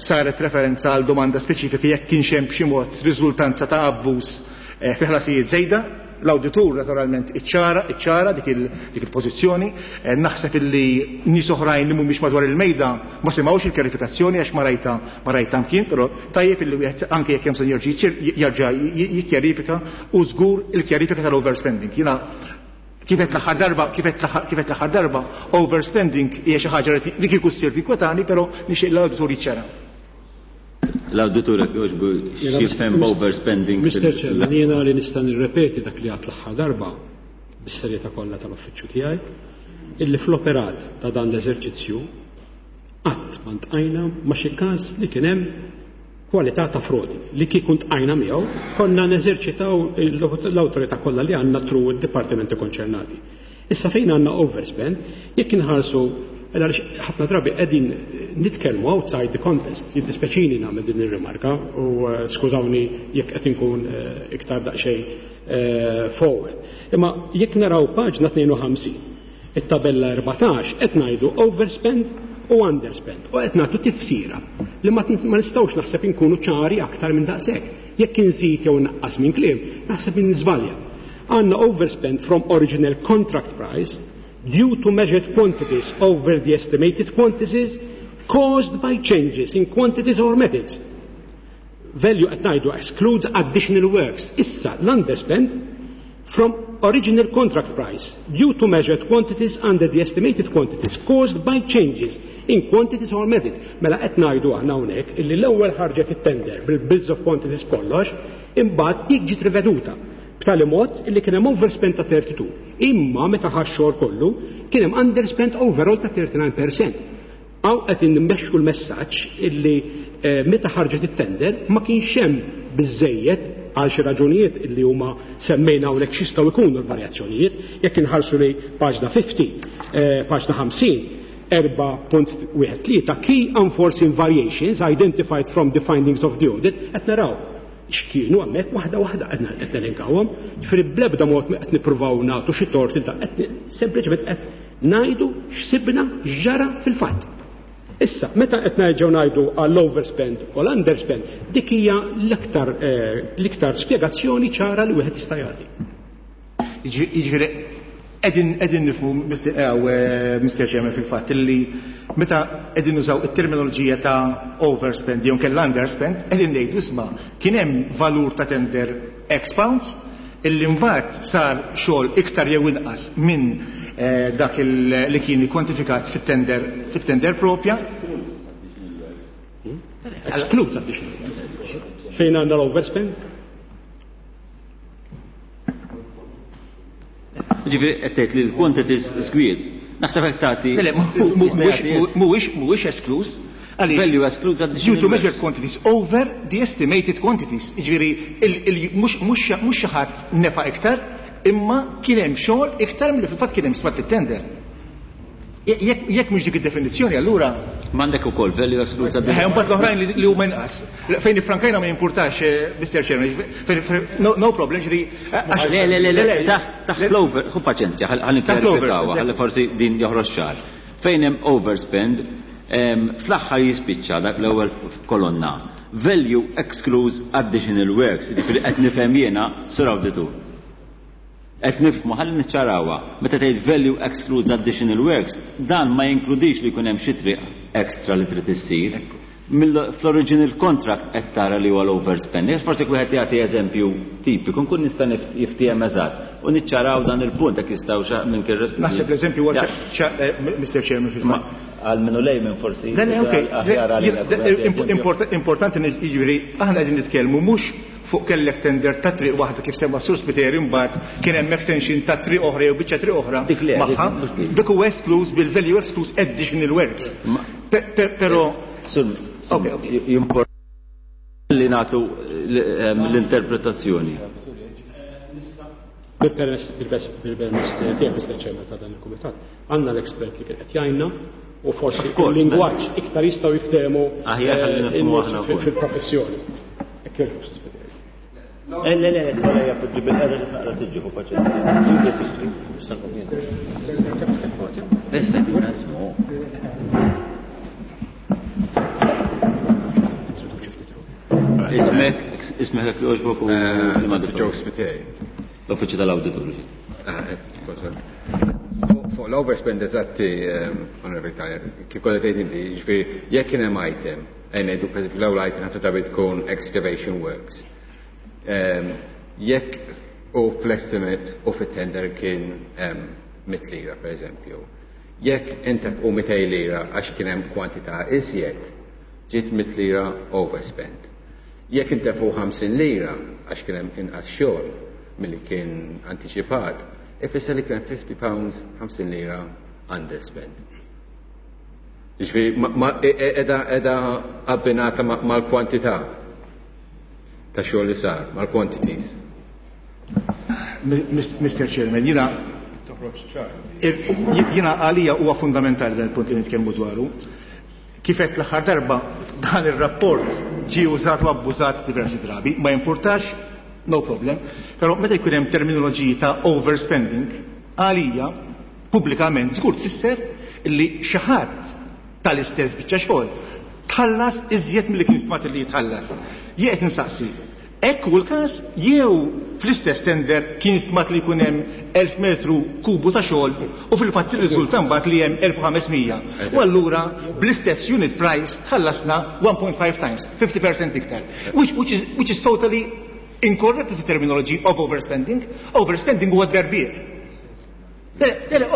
saret referenza għal domanda speċifika jekk kienx hemm b'xi mod riżultanza ta' abbuż fi ħlasijiet żejda. L-awditur naturalment iċċara, iċċara dik il-pożizzjoni. Naħseb illi nies oħrajn li mhumiex madwar il-mejda ma semgħux il-kjarifikazzjoni għax ma rajta ma rajta mkien, però tajjeb illi wieħed anke jekk hemm bżonn jerġa' jikkjarifika u żgur il-kjarifika tal-overspending. Jiena kif qed l-aħħar darba, kif qed l-aħħar darba, overspending hija xi ħaġa li kieku ssir tinkwetani, però nixtieq l-awditur jiċċara. L-awditur jekk jogħġbu x'jifhem overspending. Mister Chairman, jiena li nista' nirrepeti dak li għadt l-aħħar darba bis-serjetà kollha tal-uffiċċju tiegħi, illi fl-operat ta' dan l-eżerċizzju qatt ma ntqajna ma' xi każ li kien hemm kwalità ta' frodi li kieku ntqajna miegħu konna neżerċitaw l-awtorità kollha li għandna tru d-dipartimenti konċernati. Issa fejn għandna overspend, jekk inħarsu għaliex ħafna drabi qegħdin nitkellmu outside the contest, jiddispeċini nagħmel din ir-rimarka u skużawni jekk qed inkun iktar daqsxejn forward. Imma jekk naraw paġna tnejn u ħamsin, it-tabella erbatax qed ngħidu overspend u underspend u qed nagħtu tifsira li ma nistgħux naħseb inkunu ċari aktar minn daqshekk. Jekk inżid jew naqqas minn kliem, naħseb inżbalja. Għandna overspend from original contract price due to measured quantities over the estimated quantities caused by changes in quantities or methods. Value qed ngħidu excludes additional works. Issa l-underspend from original contract price due to measured quantities under the estimated quantities caused by changes in quantities or methods. Mela qed ngħidu aħna hawnhekk illi l-ewwel ħarġet it-tender bil-bills of quantities kollox, imbagħad dik ġiet riveduta b'tali mod illi kien hemm overspend ta' thirty-two. Imma meta ħax xogħol kollu kien hemm underspend overall ta' thirty-nine percent. Hawn qed inmexxu l-messaġġ illi meta ħarġet it-tender ma kienx hemm biżejjed għal xi raġunijiet illi huma semmejna hawnhekk x'jistgħu jkunu l-varjazzjonijiet. Jekk inħarsu li paġna fifty, paġna ħamsin, erba' punt wieħed tlieta key unforeseen variations identified from the findings of the audit, qed naraw x'kienu hemmhekk waħda waħda qed nelenkawhom, ġifieri bl-ebda mod qed nippruvaw nagħtu xi tort il qed sempliċement qed ngħidu x'sibna x'ġara fil-fatt. Issa, meta qed nerġgħu ngħidu għall-overspend u l-underspend, dik hija l-iktar l-iktar spjegazzjoni ċara li wieħed jista' jagħti. Jiġifieri qegħdin nifhmu Mister Chairman fil-fatt illi meta qegħdin nużaw it-terminoloġija ta' overspend jew kellha underspend, qegħdin ngħidu isma' kien hemm valur ta' tender X pounds illi mbagħad sar xogħol iktar jew inqas minn dak li kien kwantifikat fit-tender fit-tender propja. Excludes additional. Fejn għandna l-overspend? Ġifieri qed tgħid li l-quantities żgwied. Naħseb hekk tagħti. Mhuwiex mhuwiex esklus. Value excludes additional. Due to measured quantities over the estimated quantities. Ġifieri mhux xi ħadd nefa iktar, imma kien hemm xogħol iktar milli fil-fatt kien hemm stmat fit-tender. Jekk mhux dik id-definizzjoni allura m'għandek ukoll value excludes additional. Eh, mbagħad l-oħrajn li huma inqas. Fejn ifrankajna ma jimpurtax, Mister Chairman, no problem, ġifieri. Le, le, le, le, taħt l-over, ħu paċenzja, ħalli nikklarifikaw, ħalli forsi din joħroġ ċar. Fejn hemm overspend, fl-aħħar jispiċċa dak l-ewwel kolonna. Value excludes additional works, jiġifieri qed nifhem jiena sur awditur. Qed nifhmu ħalli niċċarawha. Meta tgħid value excludes additional works, dan ma jinkludix li jkun hemm xi triq extra li trid issir. Fl-original contract qed tara li huwa l-overspending. Forsi wieħed jagħti eżempju tipiku nkun nista' jiftiehem eżatt u niċċaraw dan il-punt jekk jistgħu minn kien. Naħseb l-eżempju huwa Mister Chairman fil-fatt. Għal minnu lejmen forsi. Importanti jiġifieri aħna qegħdin nitkellmu mhux fuq kellek tender ta' triq waħda kif semma Sur Spiteri mbagħad kien hemm extension ta' triq oħra jew biċċa triq oħra magħha. Dik huwa excludes bil-value excludes additional works. Però jimporta li nagħtu l-interpretazzjoni. Bil-permess tiegħek Mister Chairman ta' dan il-kumitat, għandna l-expert li kien qed jgħinna u forsi il-lingwaġġ iktar jistgħu jiftehmu fil-professjoni. Le, le, le, tħolla jappoġġi bil-qeda li naqra siġġu, hu paċenzja. Ġibu siġġu, Issa jtina ismu. Ismek, ismek jekk jogħġbok u l-Madrid. Joe Spiteri. L-Uffiċċju tal-Awditur. Fuq l-overspend eżatti, Onorevoli Kalja, kif kollha tgħid inti, jiġifieri jekk kien hemm item, ngħidu pereżempju l-ewwel item ħafna drabi tkun excavation works. Jekk u fl-estimate u fit-tender kien mitt lira per eżempju. Jekk intefqu mitej lira għax kien hemm kwantità iżjed, ġiet mitt lira overspend. Jekk intefqu ħamsin lira għax kien hemm inqas xogħol milli kien antiċipat, ifisser li kien hemm fifty pounds ħamsin lira underspend. Jiġifieri qiegħda qiegħda abbinata mal-kwantità ta' xogħol li sar, mal-quantities. Mister Chairman, jiena jiena għalija huwa fundamentali dan il-punt li nitkellmu dwaru. Kif qed l-aħħar darba dan ir-rapport ġie użat u abbużat diversi drabi, ma jimpurtax, no problem, però meta jkun hemm terminoloġiji ta' overspending, għalija pubblikament żgur tfisser li xi ħadd tal-istess biċċa xogħol tħallas iżjed milli kien stmat li jitħallas. Jien qed nsaqsi, hekk hu l-każ jew fl-istess tender kien stmat li jkun hemm elf metru kubu ta' xogħol u fil-fatt irriżulta mbagħad li hemm elf u ħamesmija. U allura bl-istess unit price tħallasna one point five times, fifty percent iktar. Which, which is, which is totally incorrect as a terminology of overspending. Overspending huwa tberbiq. Le, le,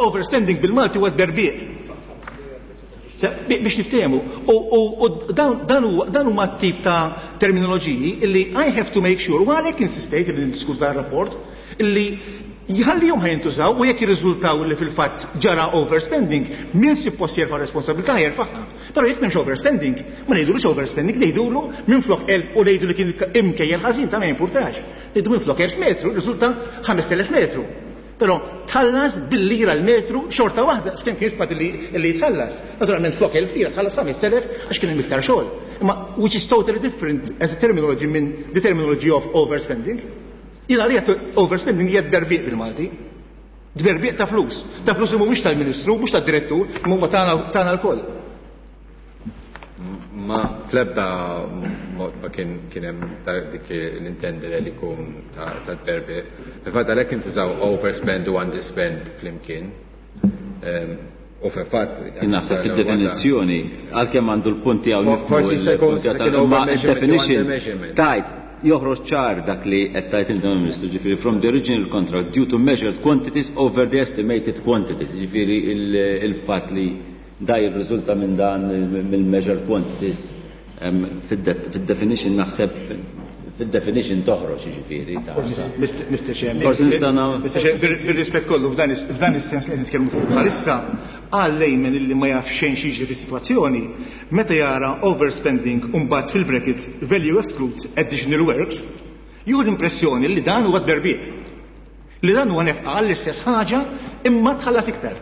overspending bil-Malti huwa tberbiq. Biex niftehmu. U dan huma t-tip ta' terminoloġiji illi I have to make sure, u għalhekk insistejt li niddiskutu dan rapport, illi jħallihom ħajintużaw u jekk jirriżultaw li fil-fatt ġara overspending, min suppost jerfa' responsabilità jerfagħha. Però jekk m'hemmx overspending, ma ngħidulux overspending, ngħidulu minflok elf u ngħidu li kien imkejjel ħażin ta' ma jimpurtax. Ngħidu minflok elf metru, riżulta ħamest elef metru. Però tħallas bil-lira l-metru xorta waħda, skem kien stmat li jitħallas. Naturalment flok elf lira tħallas ħames elef għax kien hemm iktar xogħol. Imma which is totally different as a terminology minn the terminology of overspending. Jiena li overspending hija tberbiq bil-Malti. Tberbiq ta' flus. Ta' flus li mhumiex tal-Ministru, mhux tad-direttur, imma huma tagħna lkoll. Ma fl-ebda mod ma kien kien hemm dik l-intendere li jkun ta' tberbiq. Fil-fatt għalhekk intużaw overspend u underspend flimkien. U fil-fatt. Naħseb fid-definizzjoni, għalkemm għandu l-punti hawn. Forsi se jkun definition tajt joħroġ ċar dak li qed tajt il-Ministru, ġifieri from the original contract due to measured quantities over the estimated quantities, ġifieri il-fatt li da jirriżulta minn dan mill-measured quantities fid-definition naħseb fid-definition toħroġ ġifieri. Mister Chairman, bir-rispett kollu f'dan is-sens li qed nitkellmu fuq bħalissa, għal layman illi ma jaf xejn xi fis-sitwazzjoni, meta jara overspending u mbagħad fil-brackets value excludes additional works, jieħu l-impressjoni li dan huwa tberbiq. Li dan huwa nefqa għall-istess ħaġa imma tħallas iktar.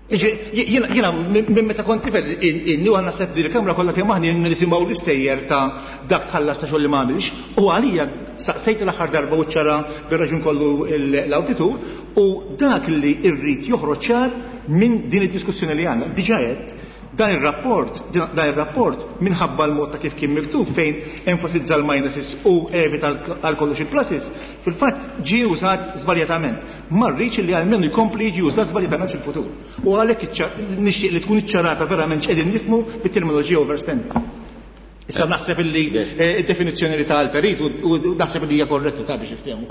Jiena minn meta kont tifel inni għandna naħseb li l-kamra kollha kemm aħna nisimgħu l-istejjer ta' dak tħallas ta' xogħol li ma għamilx, u għalija saqsejt l-aħħar darba u ċara bir-raġun kollu l-awditur, u dak li rrid joħroġ ċar minn din id-diskussjoni li għandna. Diġà għedt dan ir-rapport, dan ir-rapport minħabba l-mod ta' kif kien miktub fejn enfasizza l-minuses u evita għal kollox il-pluses, fil-fatt ġie użat żbaljatament. Ma rridx li almenu jkompli jiġi użat żbaljatament fil-futur. U għalhekk nixtieq li tkun iċċarata verament x'qegħdin nifhmu bit-terminoloġija overspending. Issa naħseb illi id-definizzjoni li ta' l-perit u naħseb li hija korretta ta' biex niftehmu.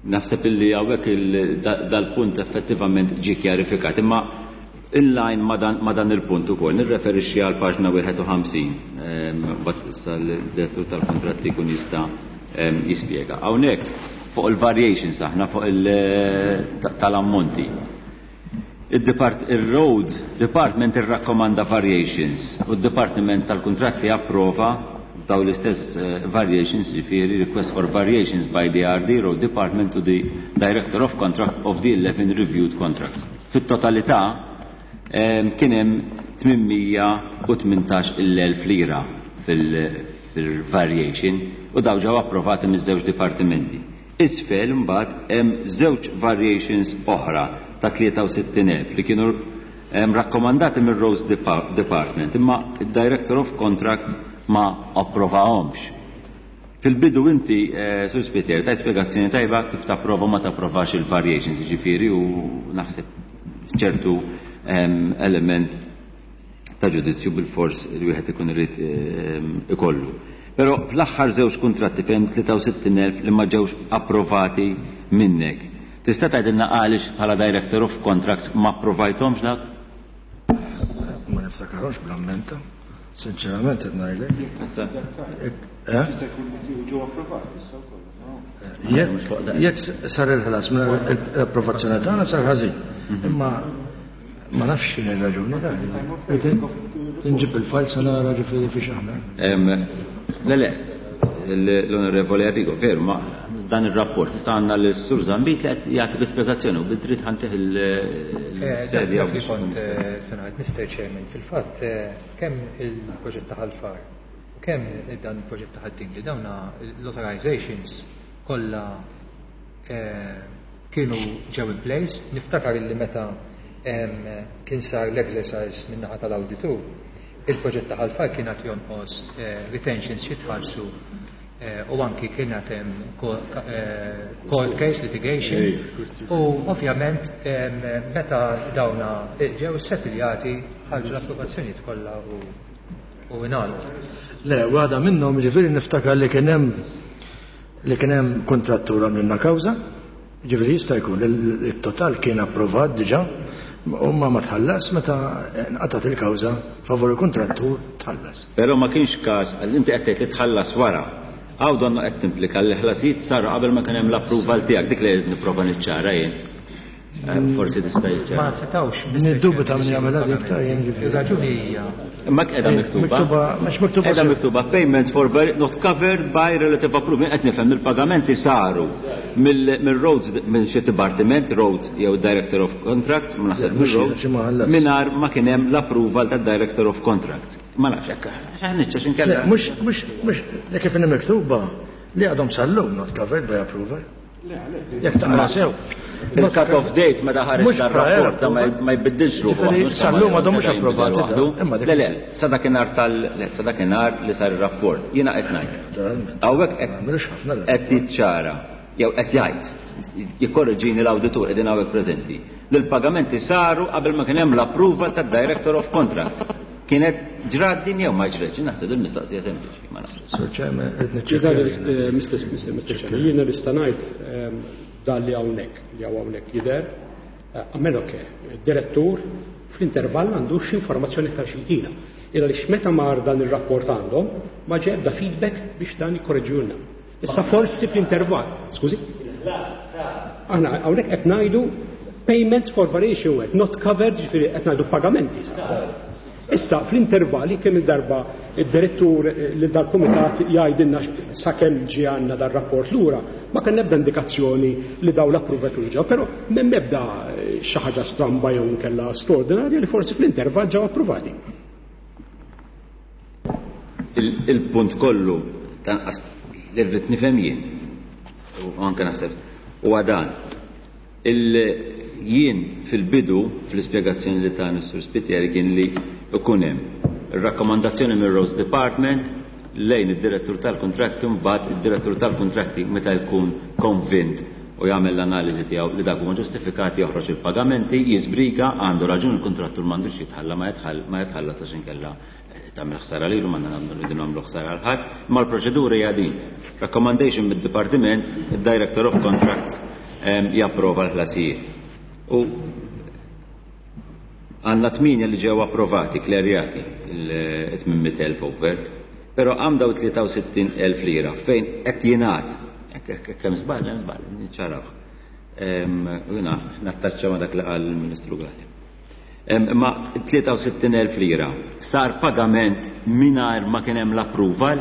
Naħseb illi hawnhekk dal-punt effettivament ġie kjarifikat, imma inline ma dan il-punt ukoll nirreferixxi għal paġna wieħed u ħamsin, mbagħad issa l-direttur tal-kontratti jkun jista' jispjega. Hawnhekk fuq il-variations aħna fuq tal-ammonti. Il-Road Department irrakkomanda variations u d-Departiment tal-Kuntratti approva daw l-istess variations, ġifieri request for variations by the R D Road Department to the Director of Contract of the eleven reviewed contracts. Fit-totalità kien hemm tmien mija u tmintax il-elf lira fil-variation u daw ġew approvati miż-żewġ dipartimenti. Isfel mbagħad hemm żewġ variations oħra ta' tlieta u sittin elf li kienu rakkomandati mir-Roads Department, imma id-Director of Contracts ma approvahomx. Fil-bidu inti, Sur Spiteri, ta' spjegazzjoni tajba kif tapprova ma tapprovax il-variations, ġifieri, u naħseb ċertu element ta' ġudizzju bil-fors li wieħed ikun irid ikollu. Però fl-aħħar żewġ kuntratti fejn tlieta u sittin elf li ma ġewx approvati minnek. Tista' tgħidilna għaliex bħala Director of Contracts ma approvajthomx dak? Ma niftakarhomx bl-ammenta. Sinċerament qed ngħidlek. Issa. Eh? Jista' jkun li ġew approvati issa wkoll. Jekk sar il-ħlas minn l-approvazzjoni tagħna sar ħażin. Imma ma nafx x'inhi r-raġuni tagħha. Tinġib il-fajl sa nara ġifieri fiex aħna. Le, le, l-Onorevoli Arrigo, veru, ma dan ir-rapport issa għandna l-Sur Zambit li qed jagħti l-ispjegazzjoni u bid-dritt ħantih il-serja. Dak li kont se ngħid, Mister Chairman, fil-fatt kemm il-proġett ta' Ħal Far u kemm dan il-proġett ta' Ħad-Dingli li dawna l-authorizations kollha kienu ġew in place. Niftakar illi meta kien sar l-exercise min-naħa tal-awditur, il-proġett ta' Ħal Far kien qed jonqos retentions jitħallsu u anki kien qed hemm court case litigation u ovvjament meta dawna ġew settiljati ħarġu l-approvazzjonijiet kollha u ingħalqu. Le, waħda minnhom ġifieri niftakar li kien hemm li kien hemm kontrattur għamlilna kawża, ġifieri jista' jkun li t-total kien approvat diġà, u ma ma tħallas meta nqatat il-kawża favur il-kontrattur tħallas. Però ma kienx każ, inti qed tgħid li tħallas wara. Għaw donnu qed timplika li ħlasijiet saru qabel ma kien hemm l-approval tiegħek, dik li qed nipprova niċċara jien. Forsi tista' jiċċara. Ma setawx. Niddubita min jagħmilha dik ta' jien ġifieri. Ir-raġuni hija. Imma qiegħda miktuba. Miktuba, mhux miktuba. Qiegħda miktuba payments for not covered by relative approval. Qed nifhem il-pagamenti saru mill-roads minn xi dipartiment roads jew Director of Contracts, ma naħseb mir-roads, mingħajr ma kien hemm l-approval tad-Director of Contracts. Ma nafx hekk. X'aħna inkella. Mhux mhux mhux dik kif inhi miktuba li għadhom sal-lum not covered by approval. Jekk taqra sew. Il-cut-off date meta ħareġ dar-rapport ma jbiddilx ruħu. Sal-lum għadhom mhux approvati. Le le, sa dakinhar tal le sa dakinhar li sar ir-rapport. Jiena qed ngħid. Hawnhekk qed jiċċara jew qed jgħid jikkorreġini l-awditur qegħdin hawnhekk preżenti. Li l-pagamenti saru qabel ma kien hemm l-approval tad-Director of Contracts. Kienet ġrat din jew ma ġratx, naħseb il-mistoqsija sempliċi, ma nafx. Sir Chairman, qed niċċekkja. Mister Chairman, jiena nista' ngħid dan li hawnhekk, li hawn hawnhekk jidher, a meno che direttur fl-intervall għandu xi informazzjoni iktar xi jtina. Illa li meta mar dan ir-rapport għandhom ma ġie ebda feedback biex dan jikkorreġulna. Issa forsi fl-intervall, skużi? Aħna hawnhekk qed ngħidu payments for variation work, not covered, ġifieri qed ngħidu pagamenti. Issa fl-intervalli kemm il-darba id-direttur li dal-kumitat jgħidilna sakemm ġie għandna dar-rapport lura, ma kien ebda indikazzjoni li daw l-approval kienu ġew, però m'hemm ebda xi ħaġa stramba jew inkella straordinarja li forsi fl-intervall ġew approvati. Il-punt kollu tanqas li rrid nifhem jien u anke naħseb huwa dan. Jien fil-bidu fl-ispjegazzjoni li ta' Mister Spiteri kien li ikun hemm ir-rakkomandazzjoni mir-Roads Department lejn id-direttur tal-kontratti, mbagħad id-direttur tal-kontratti meta jkun konvint u jagħmel l-analiżi tiegħu li dak huma ġustifikati joħroġ il-pagamenti, jiżbriga, għandu raġun il-kontrattur m'għandux jitħalla ma jitħallas għax inkella tagħmel ħsara lilu, m'għandna nagħmlu nagħmlu ħsara għal ħadd, imma l-proċedura hija din. Recommendation mid-dipartiment, id-Director of Contracts japprova l-ħlasijiet. U għandna tminja li ġew approvati, klerjati, il-tmien mitt elf over, però għam daw tlieta u sittin elf lira fejn qed jingħad, kemm żball, hemm żball, niċċaraw. U jiena nattaċċa ma' dak li qal il-Ministru Galea. Imma tlieta u sittin elf lira sar pagament mingħajr ma kien hemm l-approval,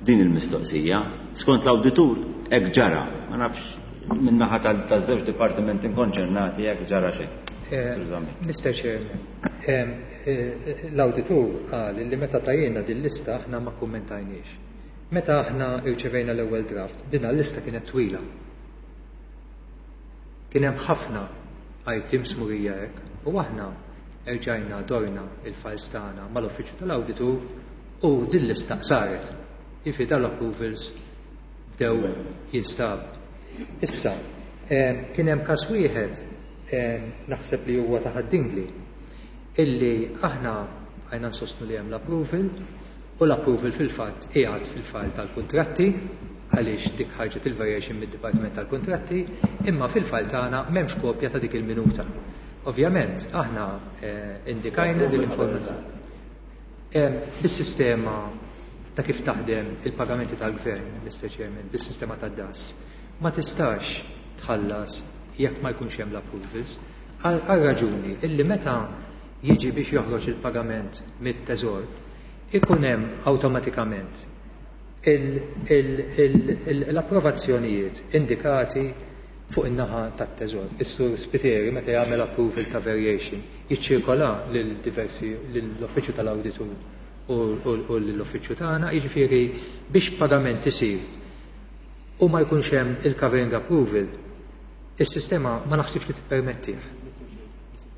din il-mistoqsija. Skont l-awditur hekk ġara, ma nafx min-naħa taż-żewġ dipartimenti konċernati hekk ġara xejn. Mister Chairman, l-awditur qal li meta tajjena din lista aħna ma kummentajniex. Meta aħna rċevejna l-ewwel draft, din l-lista kienet twila. Kien hemm ħafna items murija hekk u aħna erġajna dorna il-files tagħna mal-uffiċċju tal-awditur u din lista saret. Jiġifieri dal-approvals bdew jinstabu. Issa, kien hemm każ wieħed naħseb li huwa ta' Ħad-Dingli illi aħna għajna nsostnu li hemm l-approval u l-approval fil-fatt qiegħed fil-file tal-kuntratti għaliex dik ħarġet il-variation mid-Dipartiment tal-Kuntratti, imma fil-file tagħna m'hemmx kopja ta' dik il-minuta. Ovvjament aħna indikajna din l-informazzjoni. Bis-sistema ta' kif taħdem il-pagamenti tal-gvern, Mister Chairman, bis-sistema tad-D A S, ma tistax tħallas jekk ma jkunx hemm l-approvals, għal raġuni illi meta jiġi biex joħroġ il-pagament mit-teżor, ikun hemm awtomatikament l-approvazzjonijiet indikati fuq in-naħa tat-teżor. Is-Sur Spiteri meta jagħmel approval ta' variation jiċċirkola lil diversi lill-uffiċċju tal-awditur u lill-uffiċċju tagħna, jiġifieri biex pagament isir u ma jkunx hemm il-covering approval, is-sistema ma naħsibx li tippermettih.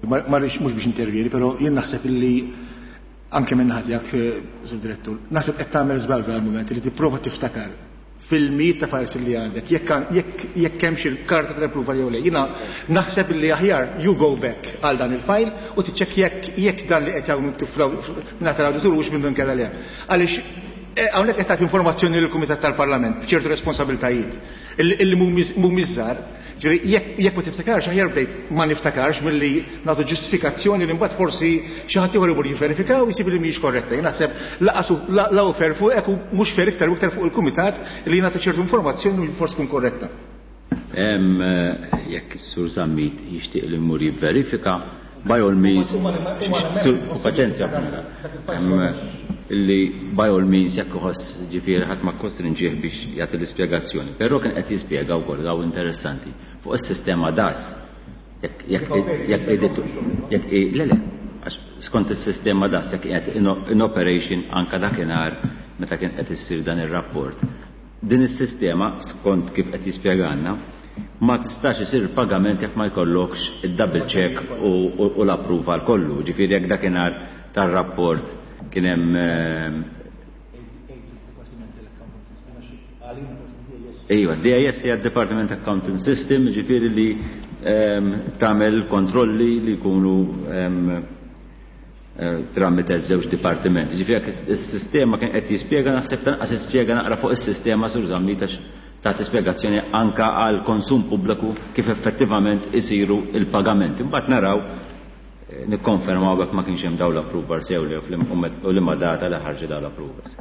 Ma rridx mhux biex intervjeni, però jien naħseb illi anke minn naħa tiegħek, Sur Direttur, naħseb qed tagħmel żball f'dal mument li tipprova tiftakar fil-mijiet ta' files li għandek, jekk hemm xi karta tal-approval jew le. Jiena naħseb illi aħjar you go back għal dan il-file u tiċċekkja jekk, jekk dan li qed jagħmlu miktub minn tal-awditur hux minn dun kella le. Għaliex hawnhekk qed tagħti informazzjoni lill-Kumitat tal-Parlament b'ċertu responsabiltajiet illi mhumiex żgħar. Ġifieri jekk ma tiftakarx aħjar bdejt ma niftakarx milli nagħtu ġustifikazzjoni li mbagħad forsi xi ħadd ieħor imur jivverifika u jsib li mhijiex korretta. Jien naħseb laqas la hu fair fuqek u mhux fair iktar u iktar fuq il-kumitat li jingħata ċertu informazzjoni li forsi tkun korretta. Jekk is-Sur Zammit jixtieq li jmur jivverifika, by all means, paċenzja, illi by all means jekk iħoss ġifieri ħadd ma kostrinġih biex jagħti l-ispjegazzjoni. Però kien qed jispjega wkoll daw interessanti fuq is-sistema D A S. Jekk jekk le le għax skont is-sistema D A S jekk qed in operation anka dakinhar meta kien qed issir dan ir-rapport. Din is-sistema, skont kif qed jispjegalna, ma tistax isir pagament jekk ma jkollokx id-double check u l-approval kollu. Ġifieri jekk dakinhar tar-rapport kien hemm. Ejwa, D A S hija Department Accounting System, ġifieri li tagħmel kontrolli li jkunu tramite żewġ dipartimenti. Ġifieri jekk is-sistema kien qed jispjega, naħseb tanqas jispjega naqra fuq is-sistema, Sur Zammit, għax tagħti spjegazzjoni anka għal konsum pubbliku kif effettivament isiru il-pagamenti. Imbagħad naraw, nikkonfermaw jekk ma kienx hemm dawn l-approvals jew le u liema data li ħarġu dawn l-approvals.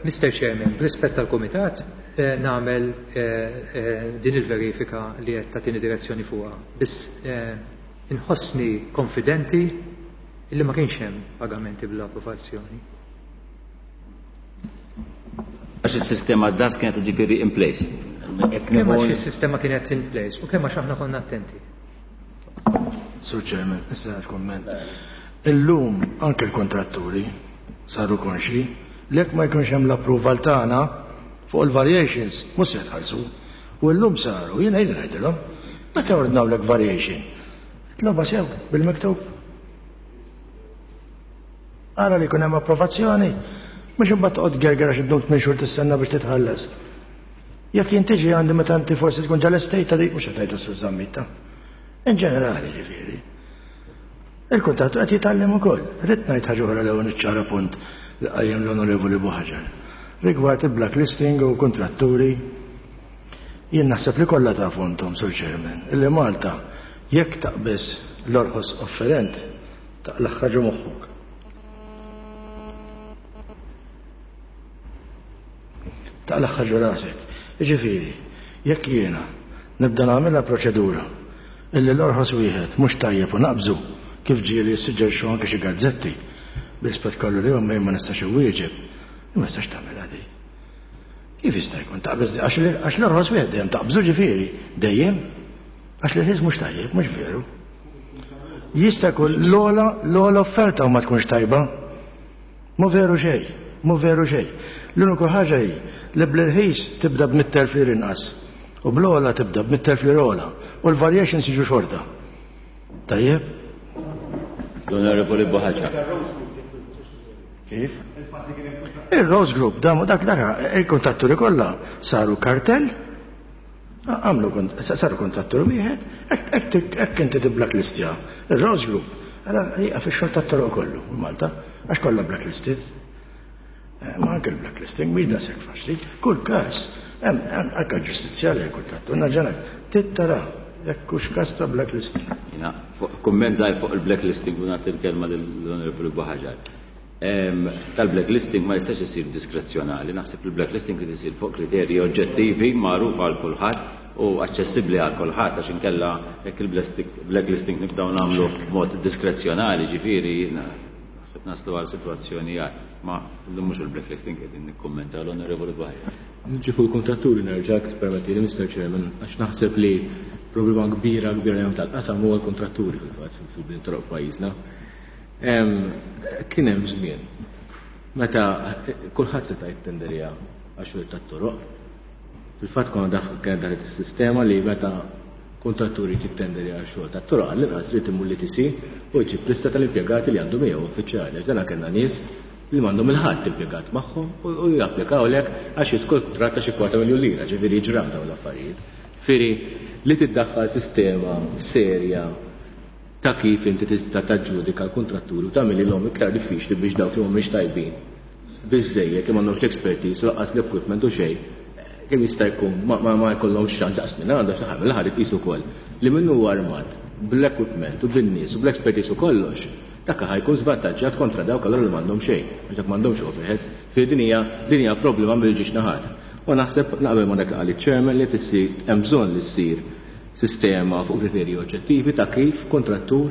Mister Chairman, b'rispett tal-Kumitat, nagħmel din il-verifika li qed tagħtini direzzjoni fuqha. Biss inħossni konfidenti illi ma kienx hemm pagamenti bl-approvazzjoni. Għax is-sistema D A S kienet ġifieri in place. Kemm għax is-sistema kienet in place u kemm għax aħna konna attenti. Sur Chairman, issa komment. Illum anke l-kontratturi saru konxi li jekk ma jkunx hemm l-approval tagħna fuq il-variations mhux se jitħallsu. U llum saru, jiena jien ngħidilhom, meta ordnawlek variation, itloba sew bil-miktub. Ara li jkun hemm approvazzjoni, mhux imbagħad toqgħod gerger għax iddum tmien xhur tistenna biex titħallas. Jekk jien tiġi għandi meta inti forsi tkun ġa l-estate dik, mhux qed ngħid Sur Zammit. In ġenerali ġifieri. Il-kuntattu qed jitgħallem ukoll. Rrid ngħid ħaġa oħra l-ewwel, niċċara punt li qajjem l-Onorevoli Buhaġar. Rigward il-blacklisting u kontratturi, jien naħseb li kollha tafu intom, Sur Chairman, illi Malta jekk taqbeż l-orħos offerent taqlaħ ħaġa moħħok. Taqlaħ ħaġa rasek. Ġifieri, jekk jiena nibda nagħmilha proċedura illi l-orħos wieħed mhux tajjeb u naqbżu, kif ġieli jissuġġerixxu anke xi gazzetti, bil-rispett kollu li huma ma nistax iwieġeb, ma nistax tagħmilha di. Kif jista' jkun taqbeż għax l-orħos wieħed dejjem taqbżu, ġifieri dejjem għax l-irħis mhux tajjeb, mhux veru. Jista' jkun l-ogħla l-ogħla offerta u ma tkunx tajba. Mhu veru xejn, mhu veru xejn. L-uniku ħaġa hi li bl-irħis tibda b'mitt elf lira inqas u bl-ogħla tibda b'mitt elf lira ogħla u l-variations jiġu xorta. Tajjeb? L-Onorevoli Buhaġar. Kif? Il-Rose Group, dak dak il-kontatturi kollha saru kartell, għamlu saru kontattur wieħed, hekk inti tibblacklistja. Il-Rose Group, għala jieqaf ix-xogħol tat-toroq kollu Malta, għax kollha blacklisted. Ma anke il-blacklisting mhix daqshekk faċli. Kull każ hemm anke ġustizzja li kuntattur naġġana tittara jekk hux każ ta' blacklisting. Jiena kumment żgħir fuq il-blacklisting u nagħti l-kelma lill-Onorevoli Buhaġar. Tal-blacklisting ma jistax isir diskrezzjonali, naħseb il-blacklisting irid isir fuq kriterji oġġettivi magħrufa għal kulħadd u aċċessibbli għal kulħadd, għax inkella jekk il-blacklisting nibdew nagħmlu b'mod diskrezzjonali, ġifieri naħseb naslu għal sitwazzjoni għal. Ma llum mhux il-blacklisting qegħdin nikkummenta. L-Onorevoli Buhaġar. Niġi fuq il-kontratturi nerġa', permetti li, Mister Chairman, għax naħseb li problema kbira kbira li tal-qasam huwa l-kontratturi fil-fatt fil-bini toroq f'pajjiżna. Kien hemm żmien meta kulħadd seta' jittenderja għax-xogħol tat-toroq. Fil-fatt konna kienet daħlet is-sistema li meta kontratturi jittenderja għax-xogħol tat-toroq, għall-inqas irid imur l-E T C u jġib lista tal-impjegati li għandu miegħu uffiċjali. Għax dana kellna nies li m'għandhom il-ħadd impjegat magħhom u japplikaw lek għax jidħol kuntratt ta' xi kwarta miljun lira, ġifieri ġraw dawn l-affarijiet. Ġifieri li tiddaħħal sistema serja ta' kif inti tista' taġġudika l-kontratturi u tagħmilhom iktar diffiċli biex dawk li mhumiex tajbin biżejjed, li m'għandhomx l-expertise, lanqas l-equipment u xejn, kemm jista' jkun ma ma jkollhomx ċans daqs minn għandu xi ħadd mill-aħħar iqisu wkoll li min huwa armat bl-equipment u bin-nies u bl-expertise u kollox, dak ħa jkun żvantaġġjat kontra dawk allura li m'għandhom xejn, għax dak m'għandhomx overheads. Fi din hija din hija problema mill-ġiex naħat. U naħseb naqbel ma dak li qal iċ-chairman li tissir hemm bżonn li ssir sistema fuq kriterji oġġettivi ta' kif kontrattur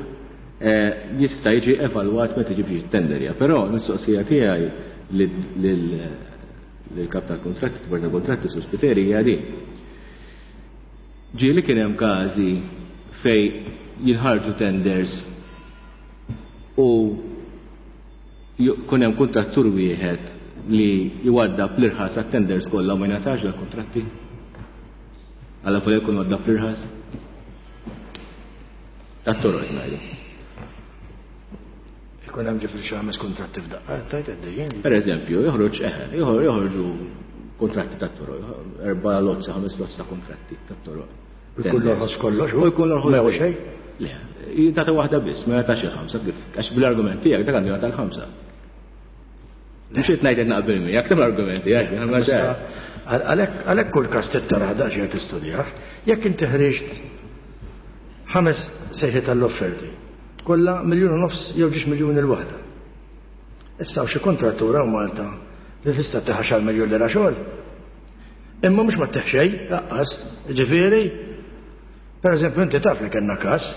jista' jiġi evalwat meta jiġi biex jittenderja. Però l-mistoqsija tiegħi lill-kap tal-kontratti, Bord tal-Kontratti, Sur Spiteri, hija din. Ġieli kien hemm każi fej jinħarġu tenders u kun hemm kuntrattur wieħed li jwaddab l-irħas għat-tenders kollha u ma jingħatax dal-kontratti? Alla fuq jkun waddab l-irħas? Tat-toroq ngħidu. Ikun hemm ġifieri xi ħames kuntratti f'daqqa, tajt għaddejjin. Per eżempju, joħroġ eħe, joħorġu kontratti tat-toroq, erba' lozza, ħames lozza ta' kontratti tat-toroq. Jkun l-orħos kollox, U jkun l-orħos ma jieħu xejn? Le, jingħata waħda biss, ma jingħatax il-ħamsa, kif għax bil-argument tiegħek dak għandu jingħata l-ħamsa. Mhux qed ngħid qed naqbel miegħek, kemm l-argument tiegħek, jiena ma Issa, Għalhekk għalhekk kull każ trid daqsxejn tistudjah, jekk inti ħriġt ħames sejħiet tal-offerti, kollha miljun u nofs jew ġiex miljun il-waħda. Issa hawn xi kontrattura u Malta li tista' tieħu għaxar miljun lira xogħol. Imma mhux ma tieħ xejn, laqqas, ġifieri. Per eżempju, inti taf li kellna każ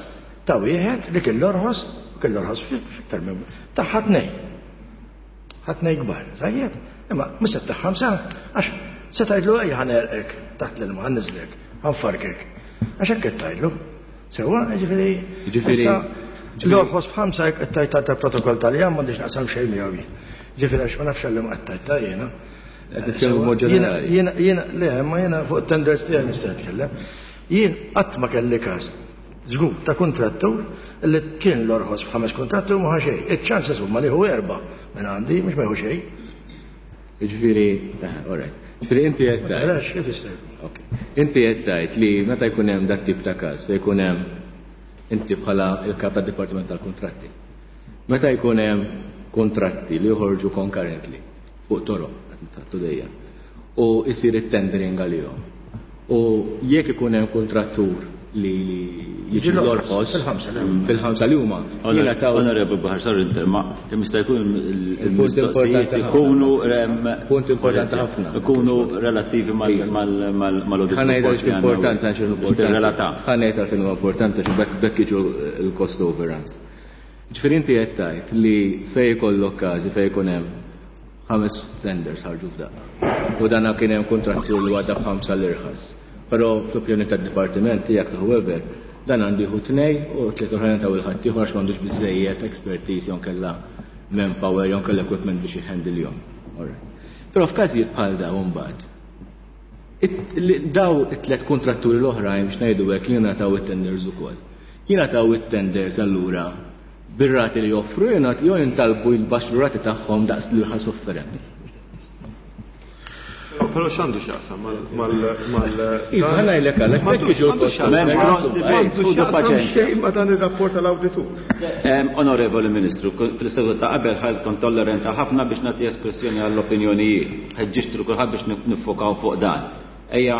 ta' wieħed li kien l-orħos, kien l-orħos fiktar minn ta' ħatnej. Ħatnej kbar, tajjeb. Imma mhux se tagħ ħamsa għax se tgħidlu ejja ħa ngħerrqek taħt l-ilma ħa nniżżlek, ħa nfarrkek. Għax hekk qed tgħidlu. Sewwa, ġifieri. Ġifieri- issa, L-orħos b'ħamsa jekk qed tgħid tal-protokoll tal-jam m'għandix naqsam xejn miegħu jien. Ġifieri għax ma nafx għalli ma qed tgħid jiena. Qed nitkellmu b'mod ġenerali. Jiena, jiena, le, ma jiena fuq tenders tiegħi nista' nitkellem. Jien qatt ma kelli każ żgur ta' kontrattur li kien l-orħos f'ħames kontrattur ma ħa xejn. Iċ-chances huma li hu erba' minn għandi mhux ma jieħu xejn. Ġifieri, eh, all right. Ġifieri inti qed Ma tgħid. tarax kif jista' jkun. Ok. Inti qed tgħid li meta jkun hemm dat tip ta' każ fejn jkun hemm inti bħala il-kap tad-Dipartiment tal-Kuntratti. Meta jkun hemm kontratti li joħorġu concurrently fuq toroq qed nitħattu dejjem u jsir it-tendering għalihom. U jekk ikun hemm kontrattur li li jiġi l-orħos Fil-ħamsa li huma. fil-ħamsa li huma jingħataw Onorevole Buhagiar, sorry, inter, ma kemm jista' jkun Il-punt il-mistoqsijiet importanti ikunu rem Punt importanti ħafna. Ikunu relattivi mal-audit. Ħa ngħid għaliex importanti għax importanti. Relata. Ħa ngħid għalfejn huwa importanti għax bekk bekk jiġu il-cost overruns. Ġifieri inti qed tgħid li fejn ikollok każi fejn ikun hemm ħames tenders ħarġu f'daqqa. U dana kien hemm kontrattur li għadda b'ħamsa l-irħas. Però fl-opinjoni tad-dipartiment tiegħek however, dan għandu jieħu tnej u tliet oħrajn taw il-ħadd ieħor għax m'għandux biżejjed expertise jew kellha manpower jew kellha equipment biex jhandle-jhom. Alright. Però f'każijiet bħal dawn mbagħad It- li- daw it-tlet kontratturi l-oħrajn biex ngħidu hekk li jingħataw it-tenders ukoll. Jingħataw it-tenders allura bir-rati li joffru jingħat jew jintalbu jbaxxu rati tagħhom daqs l-irħas offerent. Però x'għandu x'jaqsam mal mal mal Iva, ħa ngħidlek għalhekk bekk jiġu l-cost M'għandu Ħudu x'jaqsam paċenzja. xejn ma dan ir-rapport tal-awditur. Em, Onorevoli Ministru, fil-seduta ta' qabel ħal kont tolleranta ħafna biex nagħti espressjoni għall-opinjonijiet. Ħeġġiġt kulħadd biex niffokaw fuq dan. Ejja,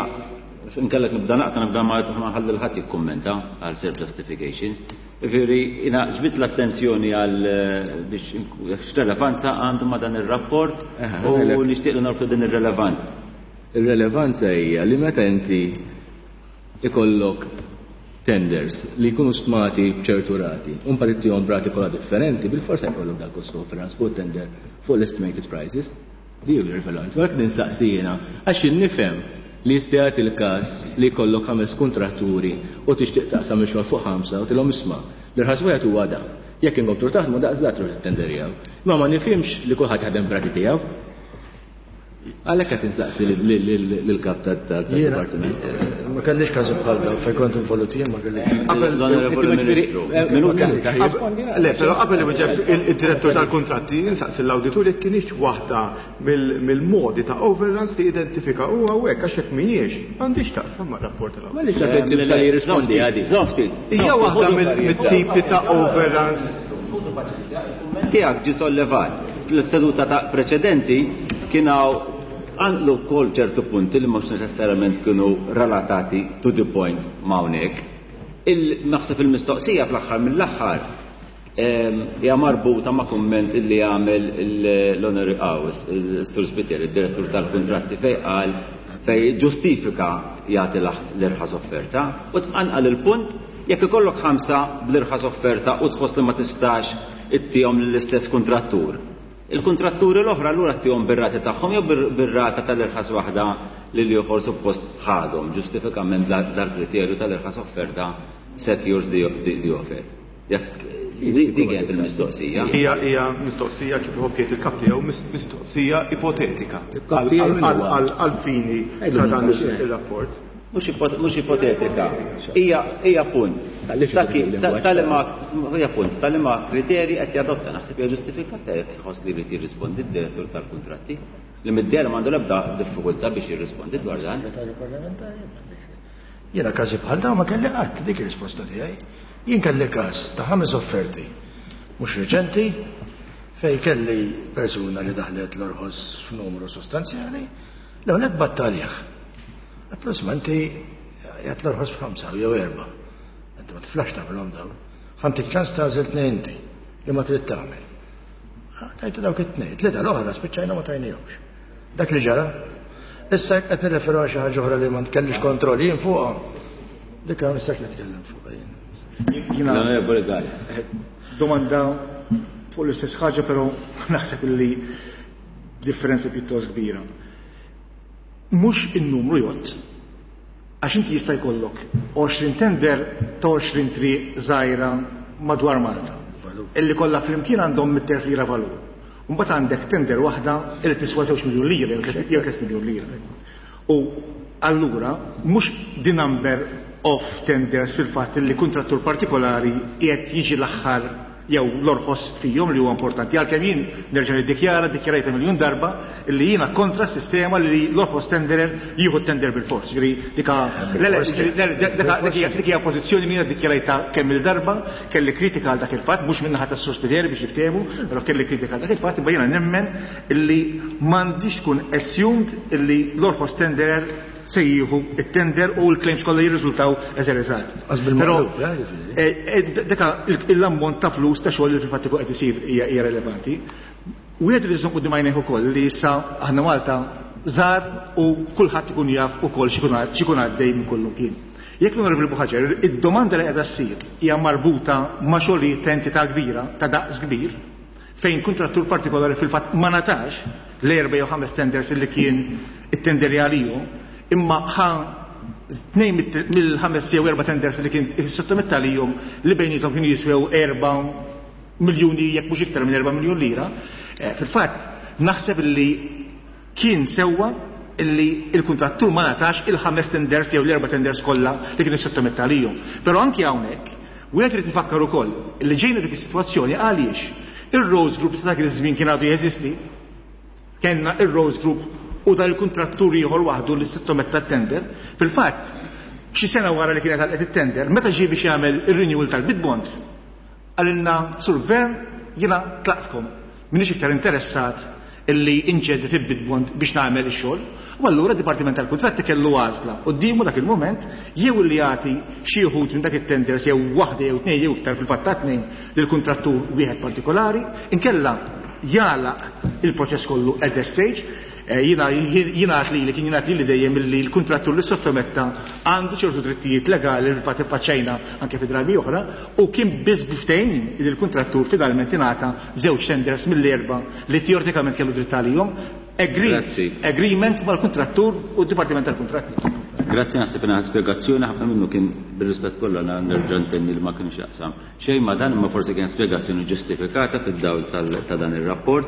nkellek nibda naqta nibda ma nħalli l-ħadd jikkummenta għal self justifications. Ġifieri, jiena ġbidt l-attenzjoni għal eh, biex x'relevanza għandu ma dan ir-rapport Eħe, u għalek. nixtieq li norbtu din ir-relevanza. Ir-relevanza hija li meta inti ikollok tenders li jkunu stmati b'ċertu rati, u mbagħad ittihom rati kollha differenti, bil-forsa jkollok dal cost overruns fuq tender fuq l-estimated prices. Di hu l-rilevanza. Għalhekk nistaqsi jiena għax nifhem li jista' jagħti il-każ li jkollok ħames kontratturi u tixtieq taqsam ix-xogħol fuq ħamsa u tilhom isma' l-irħas wieħed huwa da. Jekk inkomplu taħdmu daqs da truħ it-tenderjaw. Imma ma nifhimx li kulħadd jaħdem b'rati tiegħu. Għalhekk qed insaqsi lill-kap tad-dipartiment. Ma kellix każi bħal dawn fejn kont involut jien ma kellix. Qabel L-Onorevoli Ministru, minuta. Le, però qabel iwieġeb il-direttur tal-kontratti insaqsi l-awditur jekk kienx waħda mill-modi ta' overruns li identifika u hawnhekk għax hekk mhijiex m'għandix taqsam mar-rapport tal-awditur. M'għaliex għalfejn tibsa li jirrispondi għadi. Żomm ftit. Hija waħda mill-tipi ta' overruns. Tiegħek ġi sollevat. Fil-seduta ta' preċedenti kien hawn għanlu wkoll ċertu punti li mhux neċessarjament kienu relatati to the point ma' hawnhekk. Il-naħseb il-mistoqsija fl-aħħar mill-aħħar ehm, hija marbuta ma' kumment illi għamel l-Onorevoli Għawes, il-Sur Spiteri, il-Direttur tal-Kontratti, fej qal Fej ġustifika jagħti l-irħas offerta u tqanqal il-punt jekk ikollok ħamsa bl-irħas offerta u tħoss li ma tistax ittihom lill-istess kuntrattur. Il-kontratturi l-oħra allura ttihom bir-rati tagħhom jew bir-rata tal-irħas waħda li l-ieħor suppost ħadhom ġustifikament dal-kriterju tal-irħas offerta secures the, the, the offer. Jekk dik kienet il-mistoqsija. Hija hija mistoqsija kif iħobb jgħid il-kap tiegħu mistoqsija ipotetika għal fini ta' dan ir-rapport. Mhux ipotetika. Hija hija punt. Hija punt tal-liema kriterji qed jadotta naħseb hija ġustifikata jekk iħoss li jrid jirrispondi d-direttur tal-kuntratti. Li mid-dehra m'għandu l-ebda diffikultà biex jirrispondi dwar dan. Jiena każi bħal dawn ma kelli qatt dik ir-risposta tiegħi. Jien kelli każ ta' ħames offerti mhux reċenti fej kelli persuna li daħlet l-orħos f'numru sostanzjali, l-ewwel battalih. Għedtlu isma' inti jgħat l-orħos f'ħamsa jew erba'. Inti ma tiflax tagħmilhom dawn. Ħa ntik ċans tagħżel tnejn inti li ma trid tagħmel. Tajtu dawk it-tnejn, tlieta l-oħra spiċċajna ma tajnihomx. Dak li ġara. Issa qed nirreferu għal xi ħaġa oħra li ma nkellix kontroll jien fuqha. Dik ma nistax nitkellem fuqha jien. Jiena domanda fuq l-istess ħaġa, però naħseb li differenza pjuttost kbira. Mhux in-numru jgħodd, għax inti jista' jkollok għoxrin tender ta' għoxrin triq żgħira madwar Malta. Illi kollha flimkien għandhom mitt elf lira valur. Mbagħad għandek tender waħda li tiswa żewġ miljun lira jew tliet miljun lira. U allura mhux the number of tenders fil-fatt li kontrattur partikolari qiegħed jiġi l-aħħar jew l-orħos fihom li huwa importanti. Għalkemm jien nerġa' niddikjara, ddikjarajta miljun darba li jiena kontra s-sistema li l-orħos tenderer jieħu tender bil-fors. Ġifieri dika dik hija pożizzjoni li jiena ddikjarajta kemm il-darba, kelli kritika għal dak il-fatt, mhux min-naħa tas-Sur Spiteri biex jiftehmu, però kelli kritika għal dak il-fatt, imma jiena nemmen illi m'għandix tkun assumed illi l-orħos tenderer se jieħu it-tender u l-claims kollha jirriżultaw as a result. Però deka l-ammont ta' flus ta' xogħol li fil-fatt ikun qed isir hija relevanti. Wieħed li jżomm quddiem għajnejh ukoll li issa aħna Malta żgħar u kulħadd ikun jaf ukoll x'ikun għaddej minn kollu kien. Jekk l-Onorevoli Buhagiar, id-domanda li qiegħda ssir hija marbuta ma' xogħlijiet ta' entità kbira, ta' daqs kbir, fejn kontrattur partikolari fil-fatt ma ngħatax l-erba' jew ħames tenders li kien it-tender għalihom, imma ħa tnejn mill-ħames jew erba' tenders li kien sottometta lihom li bejnietom kienu jiswew erba' miljuni jekk mhux iktar minn erba' miljun lira, fil-fatt naħseb li kien sewwa illi il-kontrattur ma ngħatax il-ħames tenders jew l-erba' tenders kollha li kien sottometta lihom. Però anki hawnhekk wieħed irid ifakkar ukoll li ġejna dik is-sitwazzjoni għaliex ir-Roads Group sa dak iż-żmien kien għadu jeżisti, kellna ir-Roads Group u dal il-kontrattur ieħor waħdu li sottometta t-tender. Fil-fatt, xi sena wara li kienet għalqet it-tender, meta ġie biex jagħmel ir-renewal tal-bid bond, qalilna Sur Gvern jiena tlaqtkom, m'iniex iktar interessat illi inġeddi fil-bid bond biex nagħmel ix-xogħol. U allura d-Dipartiment tal-Kuntratti kellu għażla quddiemu dak il-mument jew li jagħti xi wħud minn dak it-tenders jew waħda jew tnejn jew iktar fil-fatt ta' tnejn lill-kuntrattur wieħed partikolari, inkella jagħlaq il-proċess kollu at that stage. Jiena jingħad li li kien jingħad li li dejjem li l-kuntrattur li sottometta għandu ċertu drittijiet legali li fil-fatt iffaċċajna anke fi drabi oħra, u kien biss biftejn li l-kuntrattur finalment ingħata żewġ tenders mill-erba' li teoretikament kellu dritt għalihom. Grazzi. Agreement mal-kuntrattur u d-Dipartiment tal-Kuntratti. Grazzi, naħseb ingħata spjegazzjoni ħafna minnu kien bir-rispett kollu nerġa' ntenni li ma kienx jaqsam. Xejn ma dan, imma forsi kien spjegazzjoni ġustifikata fid-dawl ta' dan ir-rapport.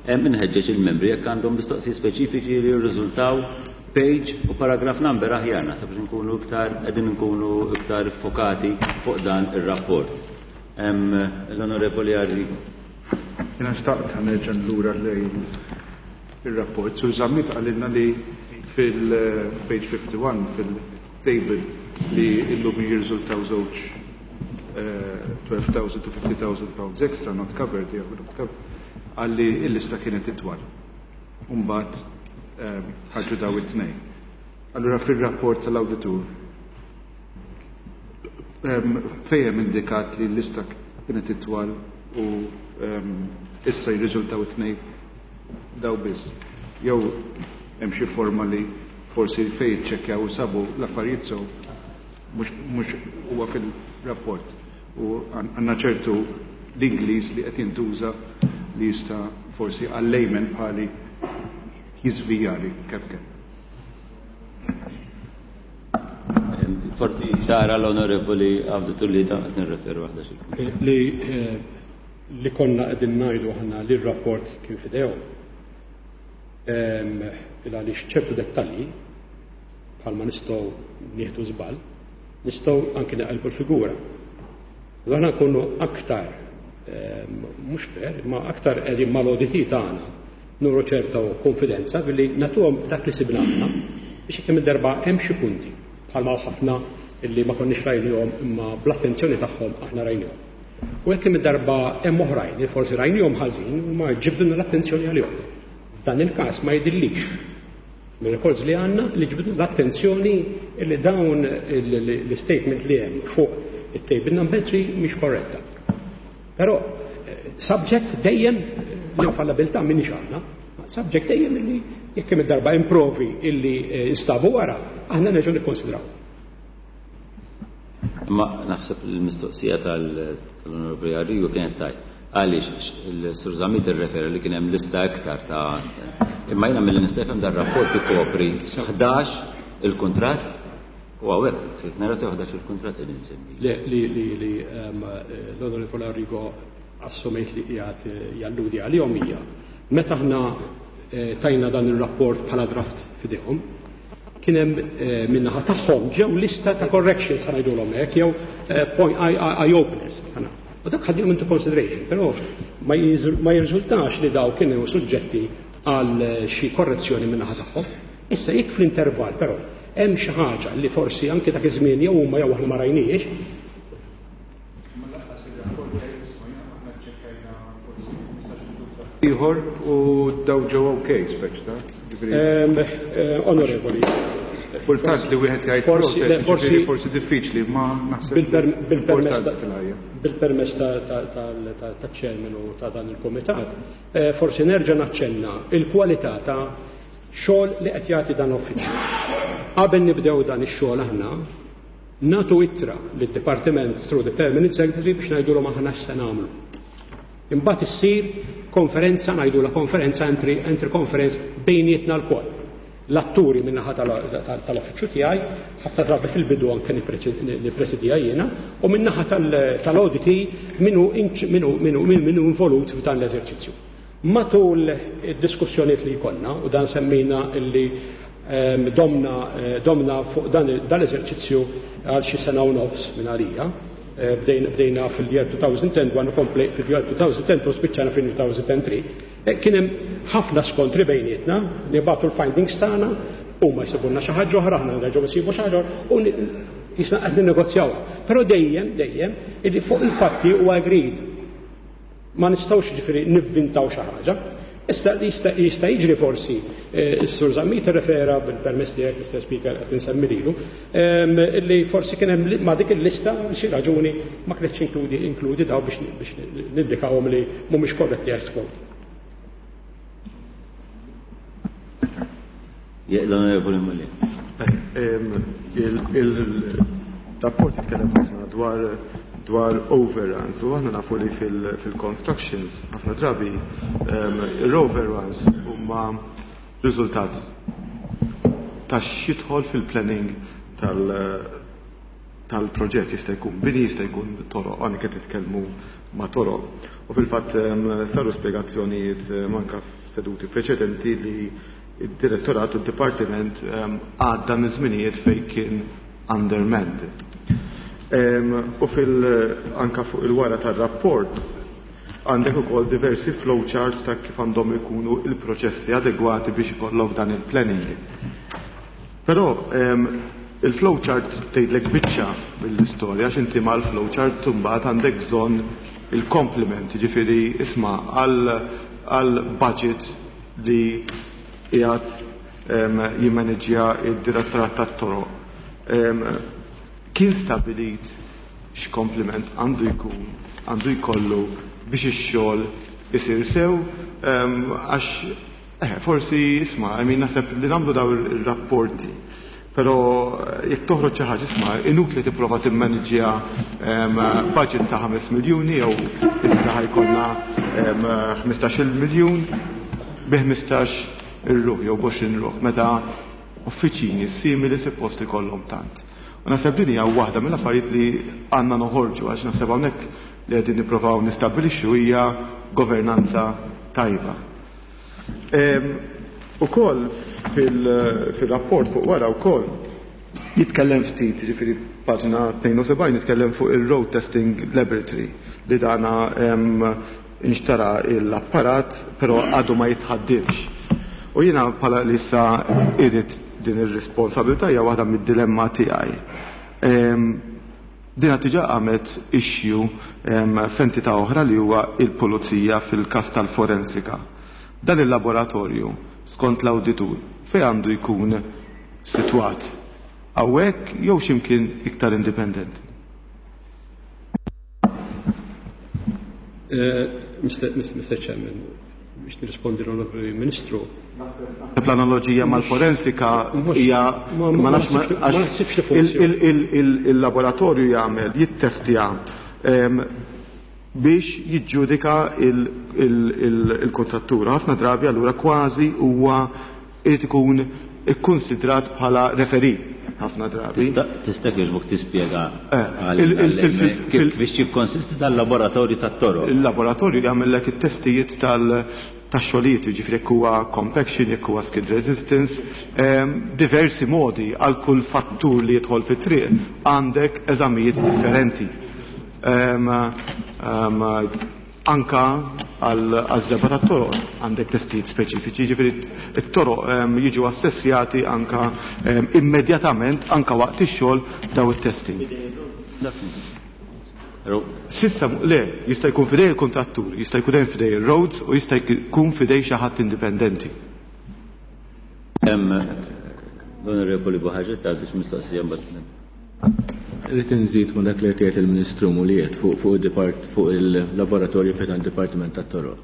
Inħeġġeġ il-membri jekk għandhom mistoqsijiet speċifiċi li jirriżultaw page u paragraph number aħjar, naħseb li nkunu iktar qegħdin nkunu iktar fokati fuq dan ir-rapport. L-Onorevoli Arri. Jiena xtaqt nerġa' lura lejn ir-rapport. Sur Zammit qalilna li fil-page fifty-one fil-table li illum jirriżultaw żewġ twelve thousand to fifty thousand pounds extra not covered, jew not covered, għalli il-lista kienet itwal. Umbagħad ħarġu daw it-tnejn. Allura fil-rapport tal-awditur fejn indikat li l-lista kienet itwal u issa jirriżultaw it-tnejn daw biss. Jew hemm xi forma li Forsi fejn iċċekkjaw u sabu l-affarijiet sew mhux huwa fil-rapport u għandna ċertu l-Ingliż li qed jintuża li jista' forsi għal-layman bħali jiżvijali kemm kemm. Forsi ċara l-Onorevoli Awditur li qed nirreferu waħda xi. Li li konna qegħdin ngħidu aħna li r-rapport kien f'idejhom. Għaliex ċertu dettalji bħalma nistgħu nieħdu żball, nistgħu anke naqilbu l-figura. Aħna nkunu aktar mhux fair, imma aktar qegħdin mal-O D T tagħna nuru ċerta konfidenza billi nagħtuhom dak li sibna aħna biex kemm il-darba hemm xi punti bħalma ħafna illi ma konniex rajnihom imma bl-attenzjoni tagħhom aħna rajnihom. U hekk kemm il-darba hemm oħrajn li forsi rajnihom ħażin u ma ġibduna l-attenzjoni għalihom. F'dan il-każ ma jidhirlix mir-records li għandna li ġibdu l-attenzjoni li dawn l-statement li hemm fuq it-table number three mhix korretta. Però subject dejjem l-infallabilità minni għandna, subject dejjem illi jekk hemm id-darba improvi illi instabu wara, aħna nerġgħu nikkonsidraw. Ma naħseb il-mistoqsija tal-Onorevoli Arrigo kienet tajt. Għaliex il-Sur Zammit irrefera li kien hemm lista iktar ta' imma jiena milli nista' nifhem dar-rapport ikopri ħdax il-kuntratt u hawnhekk nara sew ħdax il-kuntratt qegħdin insemmi. Li li li li l-Onorevoli Arrigo assumejt li qiegħed jalludi għalihom hija meta aħna tajna dan ir-rapport bħala draft f'idejhom, kien hemm min-naħa tagħhom ġew lista ta' corrections ħa ngħidulhom hekk jew point eye openers. U dak ħadnihom into consideration, però ma jirriżultax li daw kienu suġġetti għal xi korrezzjoni min-naħa tagħhom. Issa jekk fl-intervall però hemm xi ħaġa li forsi anke dak iż-żmien jew huma jew aħna ma rajniex. Ieħor u daw ġew okej speċ ta' Onorevoli. Kultant li wieħed jgħid forsi forsi forsi diffiċli ma naħseb bil-permess ta' chairman u ta' dan il-komitat, forsi nerġa' naċċenna il-kwalità ta' xogħol li qed jagħti dan l-uffiċċju. Qabel nibdew dan ix-xogħol aħna nagħtu ittra lid-Dipartiment through the Permanent Secretary biex ngħidulhom aħna x'se nagħmlu. Imbagħad issir konferenza, ngħidula konferenza entry, entry conference bejnietna lkoll. L-atturi min-naħa tal-uffiċċju tiegħi, ħafna drabi fil-bidu anke nippresidija jiena, u min-naħa tal-O D T minu minu minu minu involut f'dan l-eżerċizzju. Matul id-diskussjonijiet li jkollna, u dan semmejna illi domna domna fuq dan l-eżerċizzju għal xi sena u nofs minn għalija, bdejna fil-year twenty ten, għannu kompli fil-year twenty ten u spiċċana fil-two thousand three. Kien hemm ħafna skontri bejnietna, nibagħtu l-findings tagħna, u ma jsibulna xi ħaġa oħra, aħna nerġgħu nsibu xi ħaġa u jisna qed ninnegozjaw. Però dejjem, dejjem, illi fuq il-fatti huwa agreed. Ma nistgħux ġifieri nivvintaw xi ħaġa. Issa jista' jista' jiġri forsi s-Sur Zammit refera bil-permess tiegħek, Mister Speaker, qed insemmi lilu, li forsi kien hemm ma' dik il-lista xi raġuni ma kinitx inkludi inkludi daw biex biex nindikawhom li mhumiex korretti as quote. L-Onorevoli Mulli. Il-rapport jitkellem ħafna dwar dwar overruns u aħna nafu li fil-constructions ħafna drabi l-overruns huma riżultat ta' x'jidħol fil-planning tal-proġett, jista' jkun bini, jista' jkun toroq, għani qed titkellmu ma' toroq. U fil-fatt saru spjegazzjonijiet anke f'seduti preċedenti li id-direttorat u d-dipartiment għadda minn żminijiet fejn kien undermanned. U fil anka fuq il-wara tar-rapport għandek ukoll diversi flowcharts ta' kif għandhom ikunu il-proċessi adegwati biex ikollok dan il-planning. Però il-flowchart tgħidlek biċċa mill-istorja, għax inti mal-flowchart mbagħad għandek bżonn il-complement, jiġifieri isma' għal budget li qiegħed jimmaneġġja id-direttorat tat-toroq. Kien stabilit x'kompliment għandu jkun għandu jkollu biex ix-xogħol isir sew, għax Eh, forsi, isma', I mean, naħseb li nagħmlu daw ir-rapporti. Però jekk toħroġ xi ħaġa, isma', inutli tipprova timmaniġġja budget ta' ħames miljuni jew issa ħa jkollna ħmistax-il miljun bi ħmistax ir-ruħ jew b'għoxrin ruħ, meta uffiċini simili suppost ikollhom tant. U naħseb din hija waħda mill-affarijiet li għandna noħorġu, għax naħseb hawnhekk li qegħdin nippruvaw nistabbilixxu hija governanza tajba. Ukoll fil-rapport fuq wara wkoll jitkellem ftit, jiġifieri paġna tnejn u sebgħin jitkellem fuq il-Road Testing Laboratory li dana inxtara l-apparat però għadu ma jitħaddimx. U jiena bħala li issa irid din ir-responsabilità hija waħda mid-dilemma tiegħi. Dina diġà għamet issue f'entità oħra li huwa il-pulizija fil-każ tal-forensika. Dan il-laboratorju, skont l-awditur, fejn għandu jkun sitwat? Hawnhekk jew x'imkien iktar indipendenti? Mister Chairman, biex nirrispondi l-Onorevoli Ministru. L-analogija mal-forensika hija ma nafx naħsibx li il-laboratorju jagħmel jittestja biex jiġġudika il-kontrattura. Ħafna drabi allura kważi huwa irid ikun ikkonsidrat bħala referee ħafna drabi. Tista' kieġbok tispjega kif biex jikkonsisti tal-laboratorju tat-toroq? Il-laboratorju jagħmellek it-testijiet tax-xogħlijiet, jiġifieri jekk huwa compaction, jekk huwa skid resistance, diversi modi għal kull fattur li jidħol fit-triq għandek eżamijiet differenti. Anka għal-żebgħa tat-toroq għandek testijiet speċifiċi, jiġifieri t-toroq jiġu assessjati anka immedjatament anka waqt ix-xogħol daw it-testing. Sissa le, jista' jkun fidej il-kontrattur, jista' jkun hemm fidej il-roads u jista' jkun fidej xi ħadd indipendenti. Hemm l-Onorevoli Buhaġir għandux mistoqsija mbagħad. Rrid inżid ma' dak li qed jgħid il-Ministru Muliet fuq fuq il-depart fuq il-laboratorju fejn għand-Dipartiment tat-Toroq.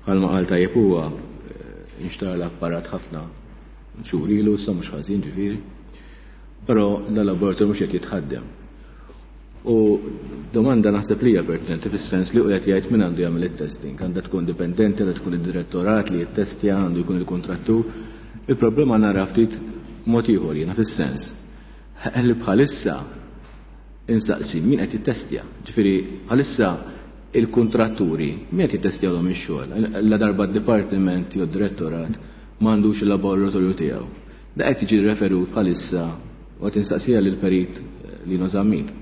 Bħalma qal tajjeb huwa inxtara l-apparat ħafna xhur ilu, issa mhux ħażin ġifieri. Però dal-laboratorju mhux qed jitħaddem. U domanda naħseb li hija pertinenti fis-sens li hu qed jgħid min għandu jagħmel it-testing, għandha tkun dipendenti, għandha tkun id-direttorat li jittestja, għandu jkun il-kontrattur. Il-problema nara ftit mod ieħor jiena fis-sens li bħalissa insaqsi min qed jittestja. Ġifieri bħalissa il-kontratturi min qed jittestjawhom ix-xogħol. La darba d-dipartiment jew d-direttorat m'għandux il-laboratorju tiegħu. Da qed jiġi referut bħalissa u qed insaqsija lill-perit Lino Zammit.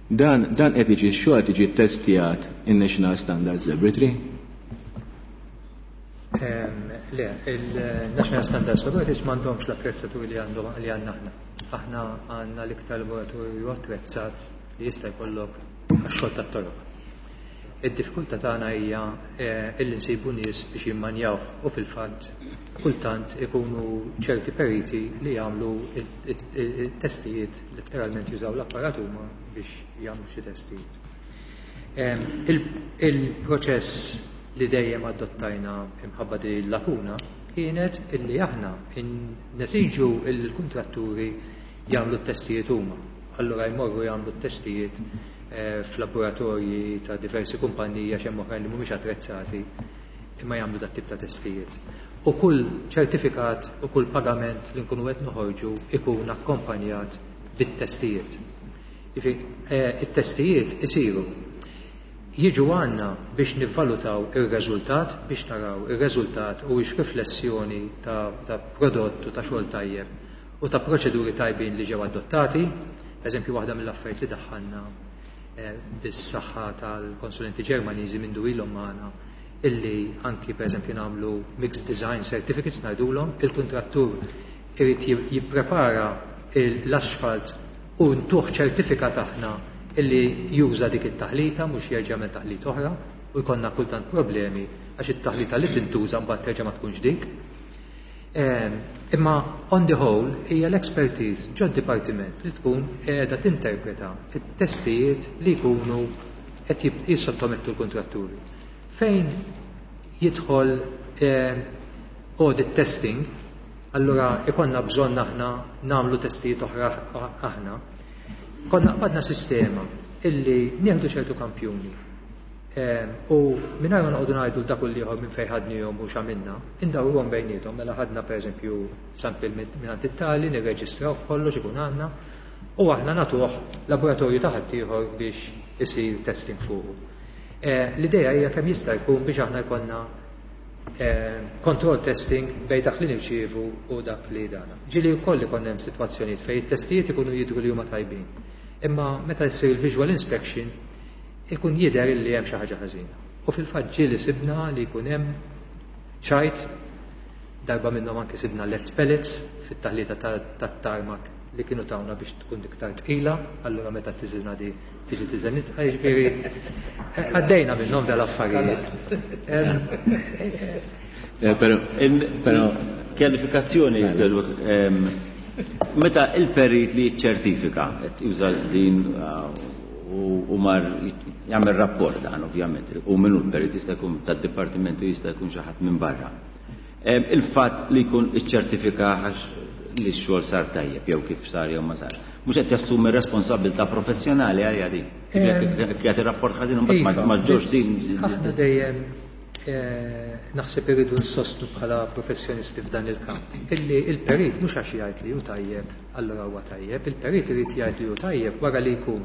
Dan, dan qed jiġi x-xogħol qed jiġi ttestjat in-National Standards Laboratory? Le, il-National Standards Laboratory m'għandhomx l-attrezzatur li għandhom li għandna aħna. Aħna għandna l-iktar laboratorju attrezzat li jista' jkollok għax-xogħol tat-toroq. Id-diffikultà tagħna hija illi nsibu nies biex jimmanjawh u fil-fatt kultant ikunu ċerti periti li jagħmlu it-testijiet, letteralment jużaw l-apparat huma biex jagħmlu xi testijiet. Il-proċess li dejjem adottajna imħabba din il-lakuna kienet illi aħna nesiġu il-kontratturi jagħmlu t-testijiet huma. Allura jmorru jagħmlu t-testijiet f'laboratorji ta' diversi kumpaniji għax hemm oħrajn li mhumiex attrezzati imma jagħmlu dat tip ta' testijiet. U kull ċertifikat u kull pagament li nkunu qed noħorġu ikun akkompanjat bit-testijiet. Jiġifieri it-testijiet isiru jiġu għandna biex nivvalutaw ir-reżultat, biex naraw ir-reżultat u x riflessjoni ta', ta' prodott u ta' xogħol tajjeb u ta' proċeduri tajbin li ġew adottati. Eżempju, waħda mill-affarijiet li daħħalna bis-saħħa tal-konsulenti Ġermaniżi minn ilhom magħna illi anki pereżempju nagħmlu mixed design certificates ngħidulhom, il-kuntrattur irid jipprepara l-asfalt u ntuh ċertifikat aħna illi juża dik it-taħlita mhux jerġa' jagħmel taħlit oħra u jkollna kultant problemi għax it-taħlita li tintuża mbagħad terġa' ma tkunx dik. Imma on the whole hija l-expertise ġod dipartiment li tkun qiegħda tinterpreta t-testijiet li jkunu qed jissottomettu l-kontratturi. Fejn jidħol audit testing, allura ikonna bżonn aħna nagħmlu testijiet oħra aħna. Konna qbadna sistema illi nieħdu ċertu kampjuni u mingħajr ma noqogħdu ngħidu dak l-ieħor minn fejn ħadnihom u x'għamilna, indawruhom bejniethom, mela ħadna pereżempju sample minn it-tali, nirreġistraw kollox ikun għandna, u aħna nagħtuh laboratorju ta' ħaddieħor biex isir testing fuqu. L-idea hija kemm jista' jkun biex aħna jkollna control testing bejn dak li nirċievu u dak li dana. Ġieli wkoll ikun hemm sitwazzjonijiet fejn it-testijiet ikunu jidhru li huma tajbin. Imma meta jsir il-visual inspection ikun jidher li hemm xi ħaġa ħażina. U fil-fatt ġieli sibna li jkun hemm ċajt, darba minnhom anke sibna lead pellets fit-taħlita tat-tarmac li kienu tawna biex tkun iktar tqila, allura meta tiżilna di tiġi tiżel nitqa, jiġifieri għaddejna minnhom dal-affarijiet. Però però kjalifikazzjoni, meta il-perit li jiċċertifika qed juża din u mar jagħmel rapport dan ovvjament, u minnu l-perit jista' jkun tad-dipartimentu, jista' jkun xi ħadd minn barra. Il-fatt li jkun iċċertifika li x-xogħol sar tajjeb jew kif sar jew ma sar, mhux qed jassumi responsabilità professjonali għalija din. Jekk jagħti rapport ħażin imbagħad ma ġġorx din. Aħna dejjem naħseb irridu nsostnu bħala professjonisti f'dan il-kamp illi il-perit mhux għax jgħid li hu tajjeb, allura huwa tajjeb, il-perit irid jgħid li hu tajjeb wara li jkun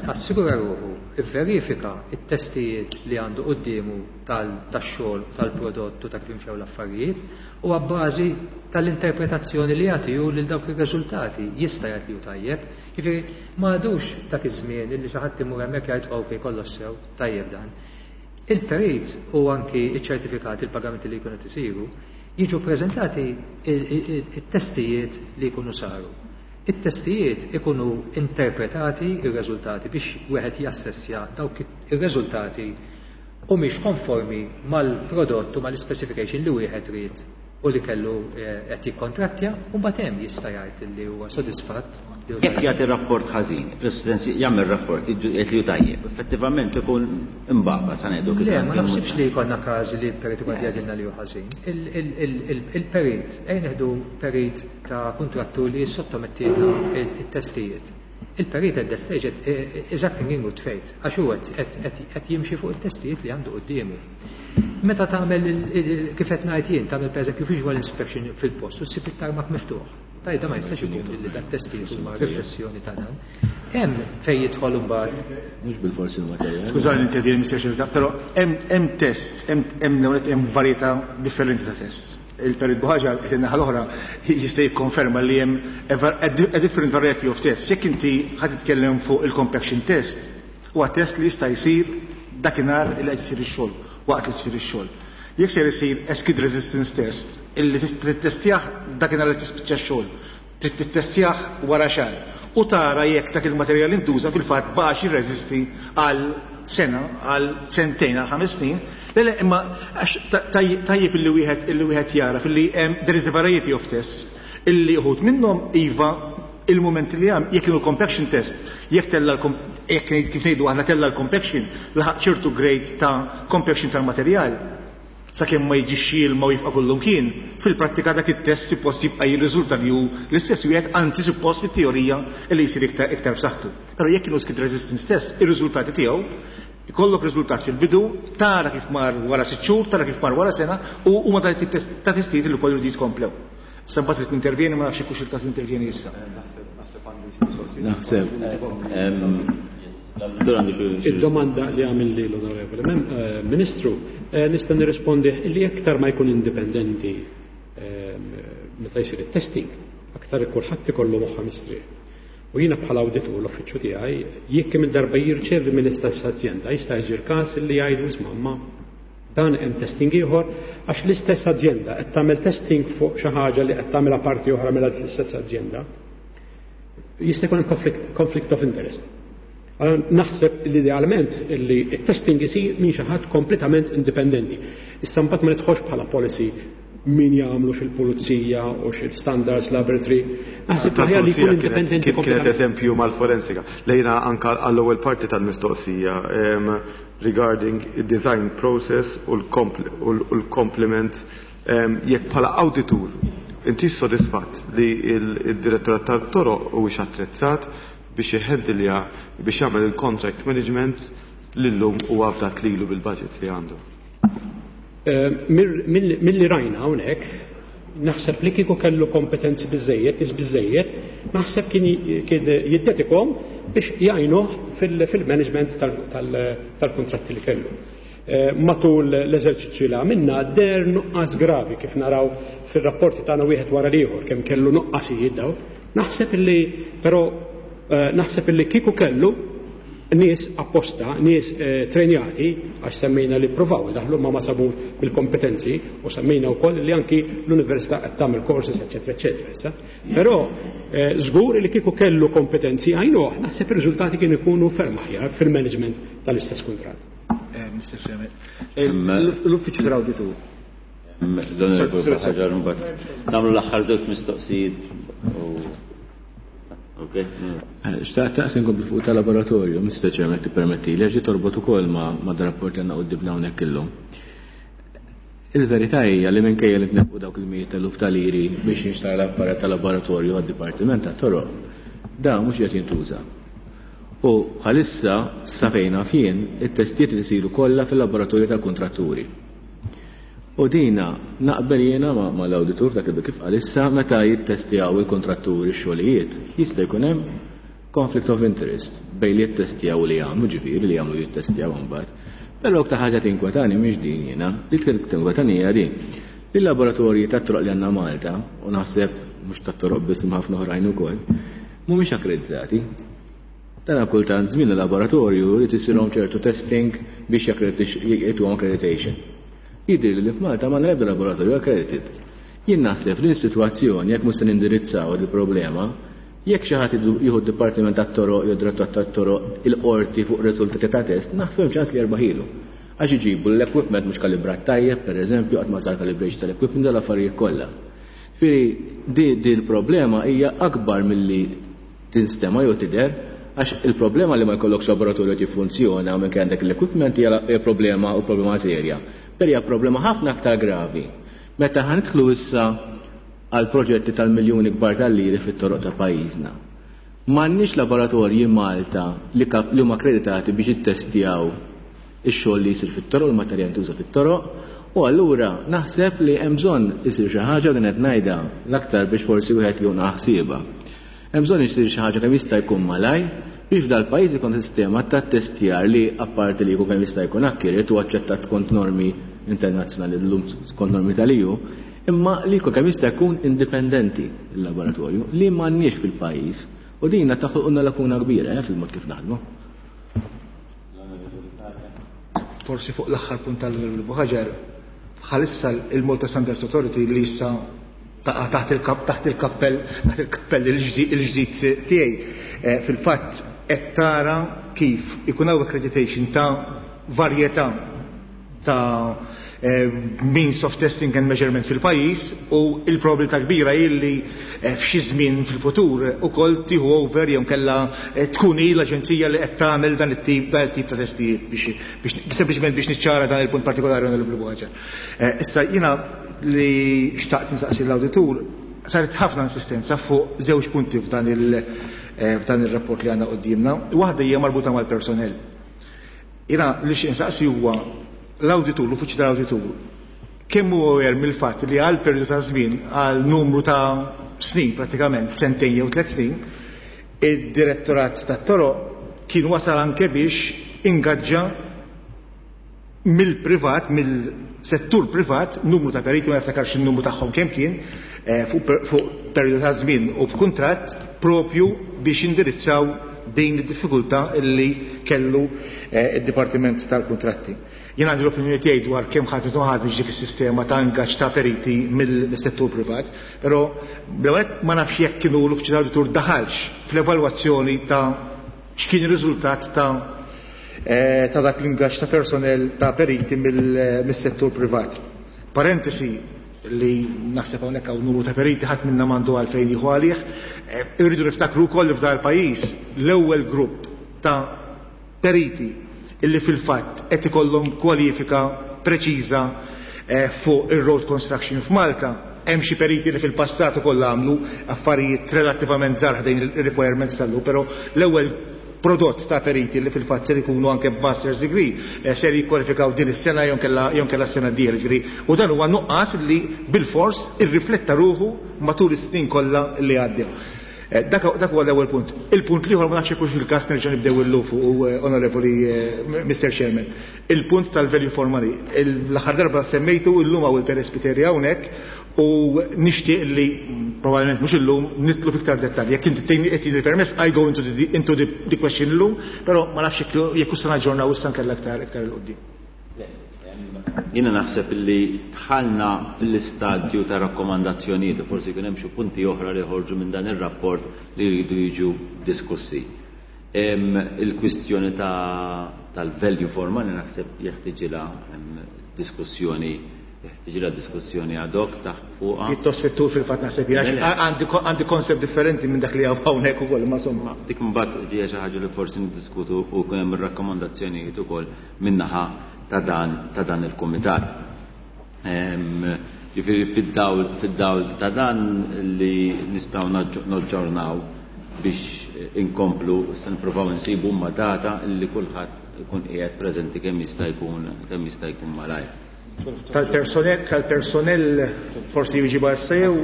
assigura ruħu, ivverifika it-testijiet li għandu quddiemu tax-xogħol, tal-prodott u ta' kif imxew l-affarijiet, u abbażi tal-interpretazzjoni li jagħti hu lil dawk ir-riżultati jista' jgħid li hu tajjeb. Jiġifieri ma għadux dak iż-żmien illi xi ħadd imur hemmhekk jgħid ok kollox sew, tajjeb dan. Il-perit u anki iċ-ċertifikati, il-pagamenti li jkunu isiru, jiġu preżentati it-testijiet li jkunu saru. It-testijiet ikunu interpretati ir-riżultati biex wieħed jassessja dawk ir-riżultati u mhix konformi mal-prodott u mal-specification li wieħed ried u li kellu qed jikkontrattja, u mbagħad hemm jista' jgħid li huwa sodisfatt. Jekk jagħti rapport ħażin, fis-sens jagħmel rapport jgħid li hu tajjeb, effettivament ikun imbagħba sa ngħidu kif. Le, ma naħsibx li jkollna każi li l-perit ikun jgħidilna li hu ħażin. Il-perit, ejja nieħdu perit ta' kuntrattur li jissottomettilna it-testijiet. Il-perit at that stage is acting in good faith, għax hu qed jimxi fuq it-testijiet li għandu quddiemu. Meta tagħmel kif qed ngħid jien, tagħmel pereżempju visual inspection fil-post u ssib it-tarmac miftuħ. Tajda ma jistax ikun li dak testijiet huma riflessjoni ta' dan. Hemm fejn jidħol imbagħad. Mhux bil-forsi il-materjal. Skużani intervjeni Mister però hemm tests, hemm hemm varjetà differenti ta' tests. Il-perit Buhaġar qed in-naħa l-oħra jista' jikkonferma li hemm a different variety of tests. Jekk inti ħadd titkellem fuq il-compaction test, huwa test li jista' jsir dakinhar li qed isir ix-xogħol, waqt li jsir ix-xogħol. Jekk se jsir skid resistance test, illi tittestjah dakinhar li tispiċċa x-xogħol, tittestjah wara xahar u tara jekk dak il-materjal intuża fil-fatt baqax jirreżisti għal sena, għal sentejn, għal ħames snin. Le, le, imma għax tajjeb illi wieħed illi wieħed jara filli hemm there is a variety of tests illi uħud minnhom iva il-moment li hemm jekk kienu compaction test, jekk tella jekk kif ngħidu aħna tella l-compaction, laħaq ċertu grade ta' compaction tal-materjal, sakemm ma jiġix ilma u jifqa' kullum kien, fil-prattika dak it-test suppost jibqa' jirriżulta li hu l-istess wieħed, anzi suppost fit-teorija li jsir iktar iktar b'saħħtu. Però jekk kienu skid resistance test, ir-riżultati tiegħu ikollok riżultat fil-bidu, tara kif mar wara sitt xhur, tara kif mar wara sena, u huma ta' testijiet li wkoll jridu jitkomplew. Sa mbagħad trid intervjeni, ma nafx hekk il-każ intervjeni issa. Naħseb. Id-domanda li għamil li l-Onorevole Ministru, nista' nirrispondi li aktar ma jkun indipendenti meta jsir it-testing, aktar kulħadd ikollu moħħa mistrieħ. U jiena bħala awditur l-uffiċċju tiegħi, jekk kemm il-darba jirċevi mill-istess azjenda, jista' jsir każ li jgħidu isma' ma dan hemm testing ieħor għax l-istess azjenda qed tagħmel testing fuq xi ħaġa li qed tagħmilha parti oħra mill-istess azjenda. Jista' jkun hemm conflict of interest. Naħseb li idealment li t-testing isir minn xi ħadd kompletament indipendenti. Issa mbagħad ma nidħolx bħala policy min jagħmlu xil-pulizija u xil-standards laboratory. Naħseb aħjar li jkun indipendenti. Kienet eżempju mal-forensika. Lejna anka għall-ewwel parti tal-mistoqsija regarding design process u l-complement Jekk bħala awditur inti sodisfatt li il-direttorat tat-toroq huwiex attrezzat biex jħendilja biex jagħmel il-contract management li llum huwa afdat lilu bil-budget li għandu. Milli rajna hawnhekk, naħseb li kieku kellu kompetenzi biżejjed, nies biżejjed, naħseb kien jiddedikom biex jgħinuh fil-management tal-kontratti li kellu. Matul l-eżerċizzju li għamilna der nuqqas gravi kif naraw fil-rapporti tagħna wieħed wara l-ieħor kemm kellu nuqqasijiet daw. Naħseb illi però naħseb illi kieku kellu nies apposta, nies trenjati, għax semmejna li provaw daħlu ma ma sabux bil-kompetenzi u semmejna wkoll li anki l-università qed tagħmel courses, eċetera, eċetera issa. Però żgur li kieku kellu kompetenzi għajnuh, naħseb ir-riżultati kienu jkunu ferm aħjar fil-management tal-istess kuntratt. Mister Chairman, l-uffiċċju tal-awditur. Nagħmlu l-aħħar żewġ mistoqsijiet. Xtaqt taqs inkompli fuq tal-laboratorju, Mister Chairman, tippermetti li għax torbot ukoll ma' dar-rapport li għandna quddiemna hawnhekk illum. Il-verità hija li minkejja li tnefqu dawk il-mijiet eluf ta' liri biex jinxtara l-apparat tal-laboratorju għad-dipartiment tat-toroq, dan mhux qed jintuża. U bħalissa sa fejn naf jien it-testijiet li jsiru kollha fil-laboratorju tal-kontratturi. U dina naqbel jiena ma l-awditur dak li kif għalissa meta jittestjaw il-kontratturi x-xogħlijiet jista' jkun hemm conflict of interest bejn li jittestjaw li jagħmlu, ġifieri li jagħmlu jittestjaw imbagħad. Però aktar ħaġa tinkwetani mhix din jiena, li tinkwetani hija din. Li l-laboratorji tat-toroq li għandna Malta, u naħseb mhux tat-toroq biss imma ħafna oħrajn ukoll, mhumiex akkreditati. Dan kultant żmien il-laboratorju jrid isirhom ċertu testing biex jagħtuhom accreditation. Jidri li f'Malta ma l-ebda laboratorju accredited. Jien naħseb li s-sitwazzjoni jekk mhux se nindirizzaw il-problema, jekk xi ħadd jieħu d-dipartiment tat-toroq jew direttorat tat-toroq il-qorti fuq riżultati ta' test, naħseb hemm ċans li jerbaħilu. Għax iġibu l-equipment mhux kalibrat tajjeb, pereżempju, qatt ma sar calibration tal-equipment dal affarijiet kollha. Fieri di di l-problema hija akbar milli tinstema' jew tidher, għax il-problema li ma jkollokx laboratorju qed jiffunzjona minn għandek l-equipment hija problema u problema serja. Però hija problema ħafna aktar gravi. Meta ħanidħlu issa għal proġetti tal-miljuni kbar tal-liri fit-toroq ta' pajjiżna. M'għandniex laboratorji Malta li li huma akkreditati biex jittestjaw ix-xogħol li jsir fit-toroq, il-materjal jintuża fit-toroq, u allura naħseb li hemm bżonn isir xi ħaġa li qed ngħidha l-aktar biex forsi wieħed jieħu ħsiebha. Hemm bżonn isir xi ħaġa kemm jista' jkun malaj biex f'dal-pajjiż ikun sistema ta' testjar li apparti li jkun kemm jista' jkun akkiret u aċċettat skont normi internazzjonali llum skont normi tal-E U, imma li jkun kemm jista' jkun indipendenti il-laboratorju li m'għandniex fil-pajjiż u dinna taħolqulna lakuna kbira eh, fil-mod kif naħdmu. Forsi fuq l-aħħar punt tal-Onorevoli Buhaġar, bħalissa il-Malta Standards Authority li issa taqa' taħt il-kap, taħt il-kappell, taħt il-kappell il-ġdid tiegħi, eh, fil-fatt qed tara kif ikun hawn accreditation ta' varjetà ta' eh, means of testing and measurement fil-pajjiż u il-probabilità kbira illi eh, f'xi żmien fil-futur ukoll tieħu over jew kellha eh, tkun hi l-aġenzija li qed tagħmel dan it-tip dan it-tip ta' testijiet biex, biex sempliċement biex niċċara dan il-punt partikolari Onorevoli Buhaġar. Issa jiena li xtaqt insaqsi l-awditur saret ħafna insistenza fuq żewġ punti f'dan il- f'dan ir-rapport li għandna qudiemna. Waħda hija marbuta mal-personell. Jiena li xi insaqsi huwa l-awditur, l-uffiċċju tal-awditur, kemm huwa aware mill-fatt li għal perjodu ta' żmien, għal numru ta' snin pratikament, sentejn jew tliet snin, id-direttorat tat-toroq kien wasal anke biex ingaġġa mill-privat, mill-settur privat, numru ta' periti, ma niftakarx in-numru tagħhom kemm kien, eh, fuq fuq perjodu ta' żmien u b'kuntratt propju biex indirizzaw din id-diffikultà illi kellu, eh, id-Dipartiment tal-Kuntratti. Jien għandi l-opinjoni tiegħi dwar kemm ħadd u ħadd biex dik is-sistema ta' ingaġġ ta' periti mill-settur privat, però bl-ewwel ma nafx jekk kienu l-uffiċċju tal-awditur daħalx fl-evalwazzjoni ta' x'kien ir-riżultat ta', eh, ta' dak l-ingaġġ ta' personnel ta' periti mill-, mis-settur privat. Parentesi li naħseb hawnhekk hawn numru ta' periti ħadd minna m'għandu għalfejn jieħu għalih. Eh, irridu niftakru wkoll li f'dan il-pajjiż l-ewwel grupp ta' periti illi fil-fatt qed ikollhom kwalifika preċiża, fuq ir-road construction f'Malta. Hemm xi periti li fil-passat ukoll għamlu affarijiet relattivament żgħar ħdejn il-requirements tal-lu, però l-ewwel prodott ta' periti li fil-fatt ser ikunu anke b'master's degree ser jikkwalifikaw din is-sena jew kellha s-sena d-dieħla, ġifieri. U dan huwa nuqqas li bilfors irrifletta ruħu matul is-snin kollha li għaddew. Dak huwa l-ewwel punt. Il-punt l-ieħor ma nafx jekk il-każ nerġa' nibdew illum fuq, Onorevoli Mister Chairman. Il-punt tal-value for money. L-aħħar darba semmejtu illum hawn il-Perit Spiteri hawnhekk u nixtieq li probabbilment mhux illum nitlu fiktar dettalji. Jekk inti tgħinni qed il-permess, I go into the, into the, the question illum, però ma nafx jekk issa naġġornaw issa nkella aktar iktar 'il quddiem. Jiena naħseb li dħalna fl-istadju ta' rakkomandazzjonijiet u forsi jkun hemm xi punti oħra li ħorġu minn dan ir-rapport li jridu jiġu diskussi. Il-kwistjoni tal-value for money naħseb jeħtieġilha diskussjoni jeħtieġilha diskussjoni ad hoc taħt fuqha. Pjuttost fit-tul fil-fatt naħseb għandi koncept differenti minn dak li hawn hawnhekk ukoll, ma insomma. Dik imbagħad ġejja xi ħaġa li forsi niddiskutu u jkun hemm ir-rakkomandazzjonijiet ukoll min-naħa ta' dan ta' dan il-kumitat. Ġifieri fid-dawl fid-dawl ta' dan li nistgħu naġġornaw biex inkomplu se nippruvaw insibu ma data li kulħadd ikun qiegħed preżenti kemm jista' jkun kemm jista' jkun malajr. Tal-personnel tal-personnel forsi jiġi issa jew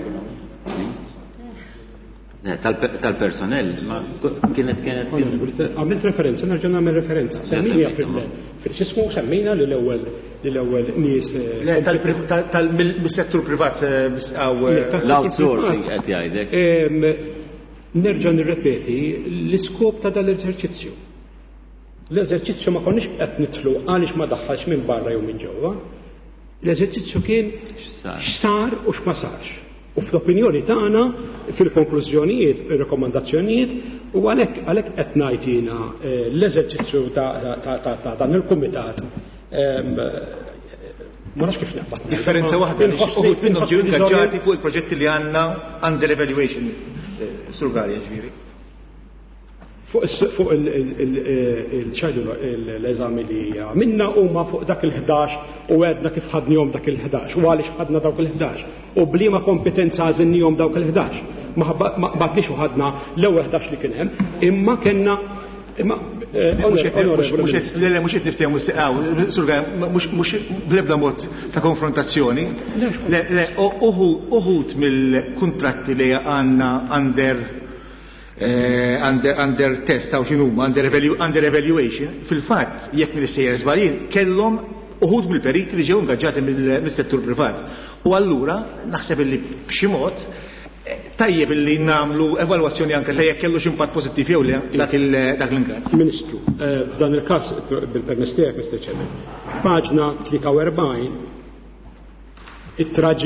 tal-personnel ma kienet kienet għamilt referenza, nerġa' nagħmel referenza. Semmija fil-xismu semmejna li l-ewwel li l-ewwel nies tal-settur privat l-outsourcing qed jgħidlek. Nerġa' nirrepeti l-iskop ta' dal-eżerċizzju. L-eżerċizzju ma konniex qed nidħlu għaliex ma daħħalx minn barra jew minn ġewwa. L-eżerċizzju kien x'sar u x'ma sarx. U fl-opinjoni tagħna fil-konklużjonijiet, ir-rekomandazzjonijiet, u għalhekk għalhekk qed ngħid jiena l-eżerċizzju ta' dan il-kumitat ma nafx kif naqbad. Differenza waħda li uħud minnhom ġew ingaġġati fuq il-proġetti li għandna under evaluation. Sur Galea ġifieri. Fuq il-ċajdu l-eżami li għamilna huma fuq dak il-ħdax u għedna kif ħadnihom dak il-ħdax u għaliex ħadna dawk il-ħdax u bliema kompetenza għażilnihom dawk il-ħdax. Ma badniex u ħadna l-ewwel ħdax li kien hemm, imma kellna imma mhux qed niftehmu Sur Galea, mhux bl-ebda mod ta' konfrontazzjoni. Le, uħud mill-kuntratti li għandna under under, under test ta' x'inhuma under, under evaluation, fil-fatt jekk m'iniex żbaljat kellhom uħud mill-periti li ġew ingaġġati mill-settur privat. U allura naħseb illi b'xi mod tajjeb illi nagħmlu evalwazzjoni anke ta' jekk kellu x'impatt pożittiv jew le dak l-ingaġġ. Ministru, f'dan il-każ bil-permess tiegħek, Mister Chairman, paġna tlieta u erbgħin ittra G,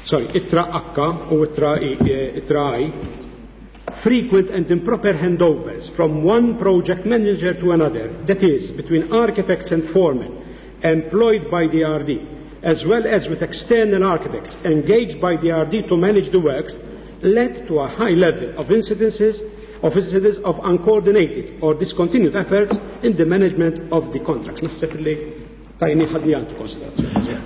sorry, ittra H u ittra I, ittra I, frequent and improper handovers from one project manager to another, that is, between architects and foremen employed by the R D, as well as with external architects engaged by the R D to manage the works, led to a high level of incidences of incidents of uncoordinated or discontinued efforts in the management of the contracts. Naħseb li tajni ħadni għandu konsiderazzjoni.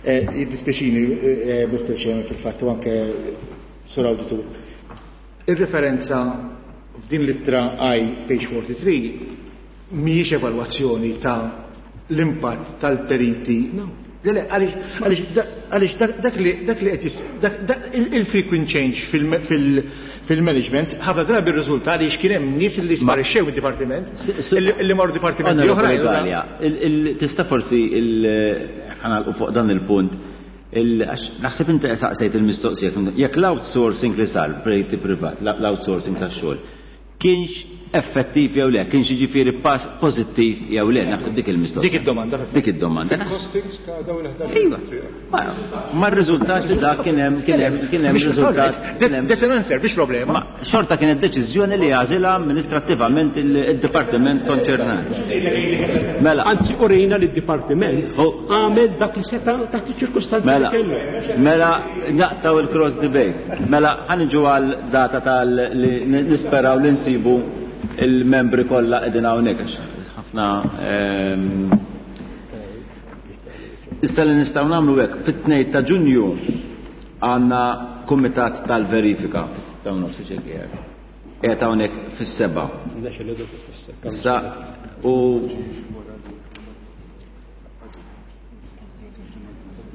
Jiddispjaċini, Mister Chairman, fil-fatt u anke Sur Auditur. Ir-referenza f'din l-ittra I, page forty-three, mhijiex evalwazzjoni ta' l-impatt tal-periti. Le, le, għaliex dak li dak li qed il-frequent change fil-management ħafna drabi rriżulta għaliex kien hemm nies li sparixxew id-dipartiment, li marru dipartimenti oħra. Tista' forsi ħanalqu fuq dan il-punt. Naħseb inti saqsejt il-mistoqsija jekk l-outsourcing li sar periti privat, l-outsourcing tax-xogħol, kienx effettiv jew le, kienx jiġifieri pass pożittiv jew le, naħseb dik il-mistoqsija. Dik id-domanda. Dik id-domanda. Costings ta' dawn il-ħdax. Iva. Ma rriżultax li dak kien hemm kien hemm kien hemm riżultat. That's an answer, biex problema. Xorta kienet deċiżjoni li għażilha amministrattivament il-dipartiment konċernat. Mela. Anzi urejna li d-dipartiment għamel dak li seta' taħt iċ-ċirkustanzi li kellu. Mela naqtaw il-cross debate. Mela ħaniġu għal data tal li nisperaw li nsibu il-membri kollha qegħdin hawnhekk għax ħafna Issa li nistgħu nagħmlu hekk, fit-tnejn ta' Ġunju għandna kumitat tal-verifika fis-sitta u nofs xi qiegħed. Qiegħed hawnhekk fis-seba'. Issa u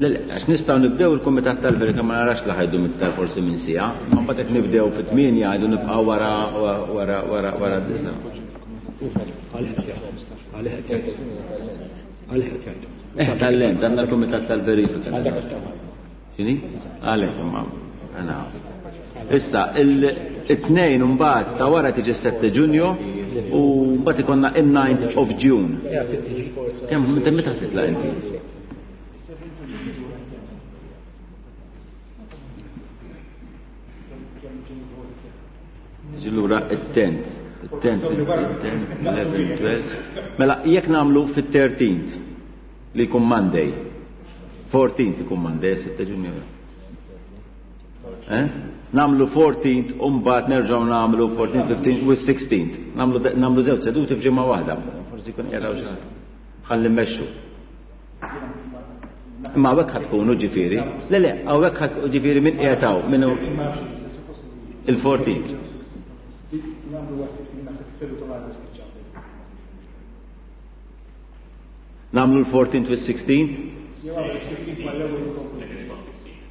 Le, le, għax nistgħu nibdew il-kumitat tal-verifika ma narax li ħajdu iktar forsi minn siegħa, ma mbagħad jekk nibdew fit-tmienja jgħidu nibqgħu wara wara wara wara d-disa'. Eh, tal-lent, għandna l-kumitat tal-verifika. X'inhi? Għalhekk imma għana. Issa, il-tnejn mbagħad ta' wara tiġi s-sette Ġunju u mbagħad ikollna in-ninth of June. Kemm meta meta titlaq inti? Tiġi lura it-tenth. It-tenth, it-tenth, eleven, twelve. Mela, jekk nagħmlu fit-thirteenth li jkun Monday. fourteenth ikun Monday, sitta Ġunju. Eh? Namlu fourteenth u mbagħad nerġgħu nagħmlu fourteenth, fifteenth u sixteenth. Namlu namlu żewġ seduti f'ġimgħa waħda. Forsi jkun jaraw xi ħaġa. Ħalli mmexxu. Imma hawnhekk ħadd tkunu ġifieri. Le le, hawnhekk ħadd ġifieri min qiegħed hawn, min hu il-fourteenth. Namlu l-fourteenth u s-sixteenth?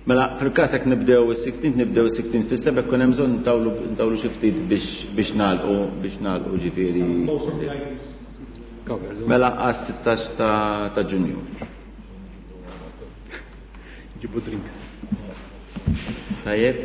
Mela, fil-każ jekk nibdew is-sixteenth, nibdew is-sixteenth fis-seba' jkun hemm bżonn ntawlu, ntawlu xi ftit biex, biex nagħlqu, biex nagħlqu ġifieri. Mela għas-sittax ta', ta' Ġunju. Ġibu drinks. Tajjeb.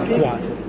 Kważi.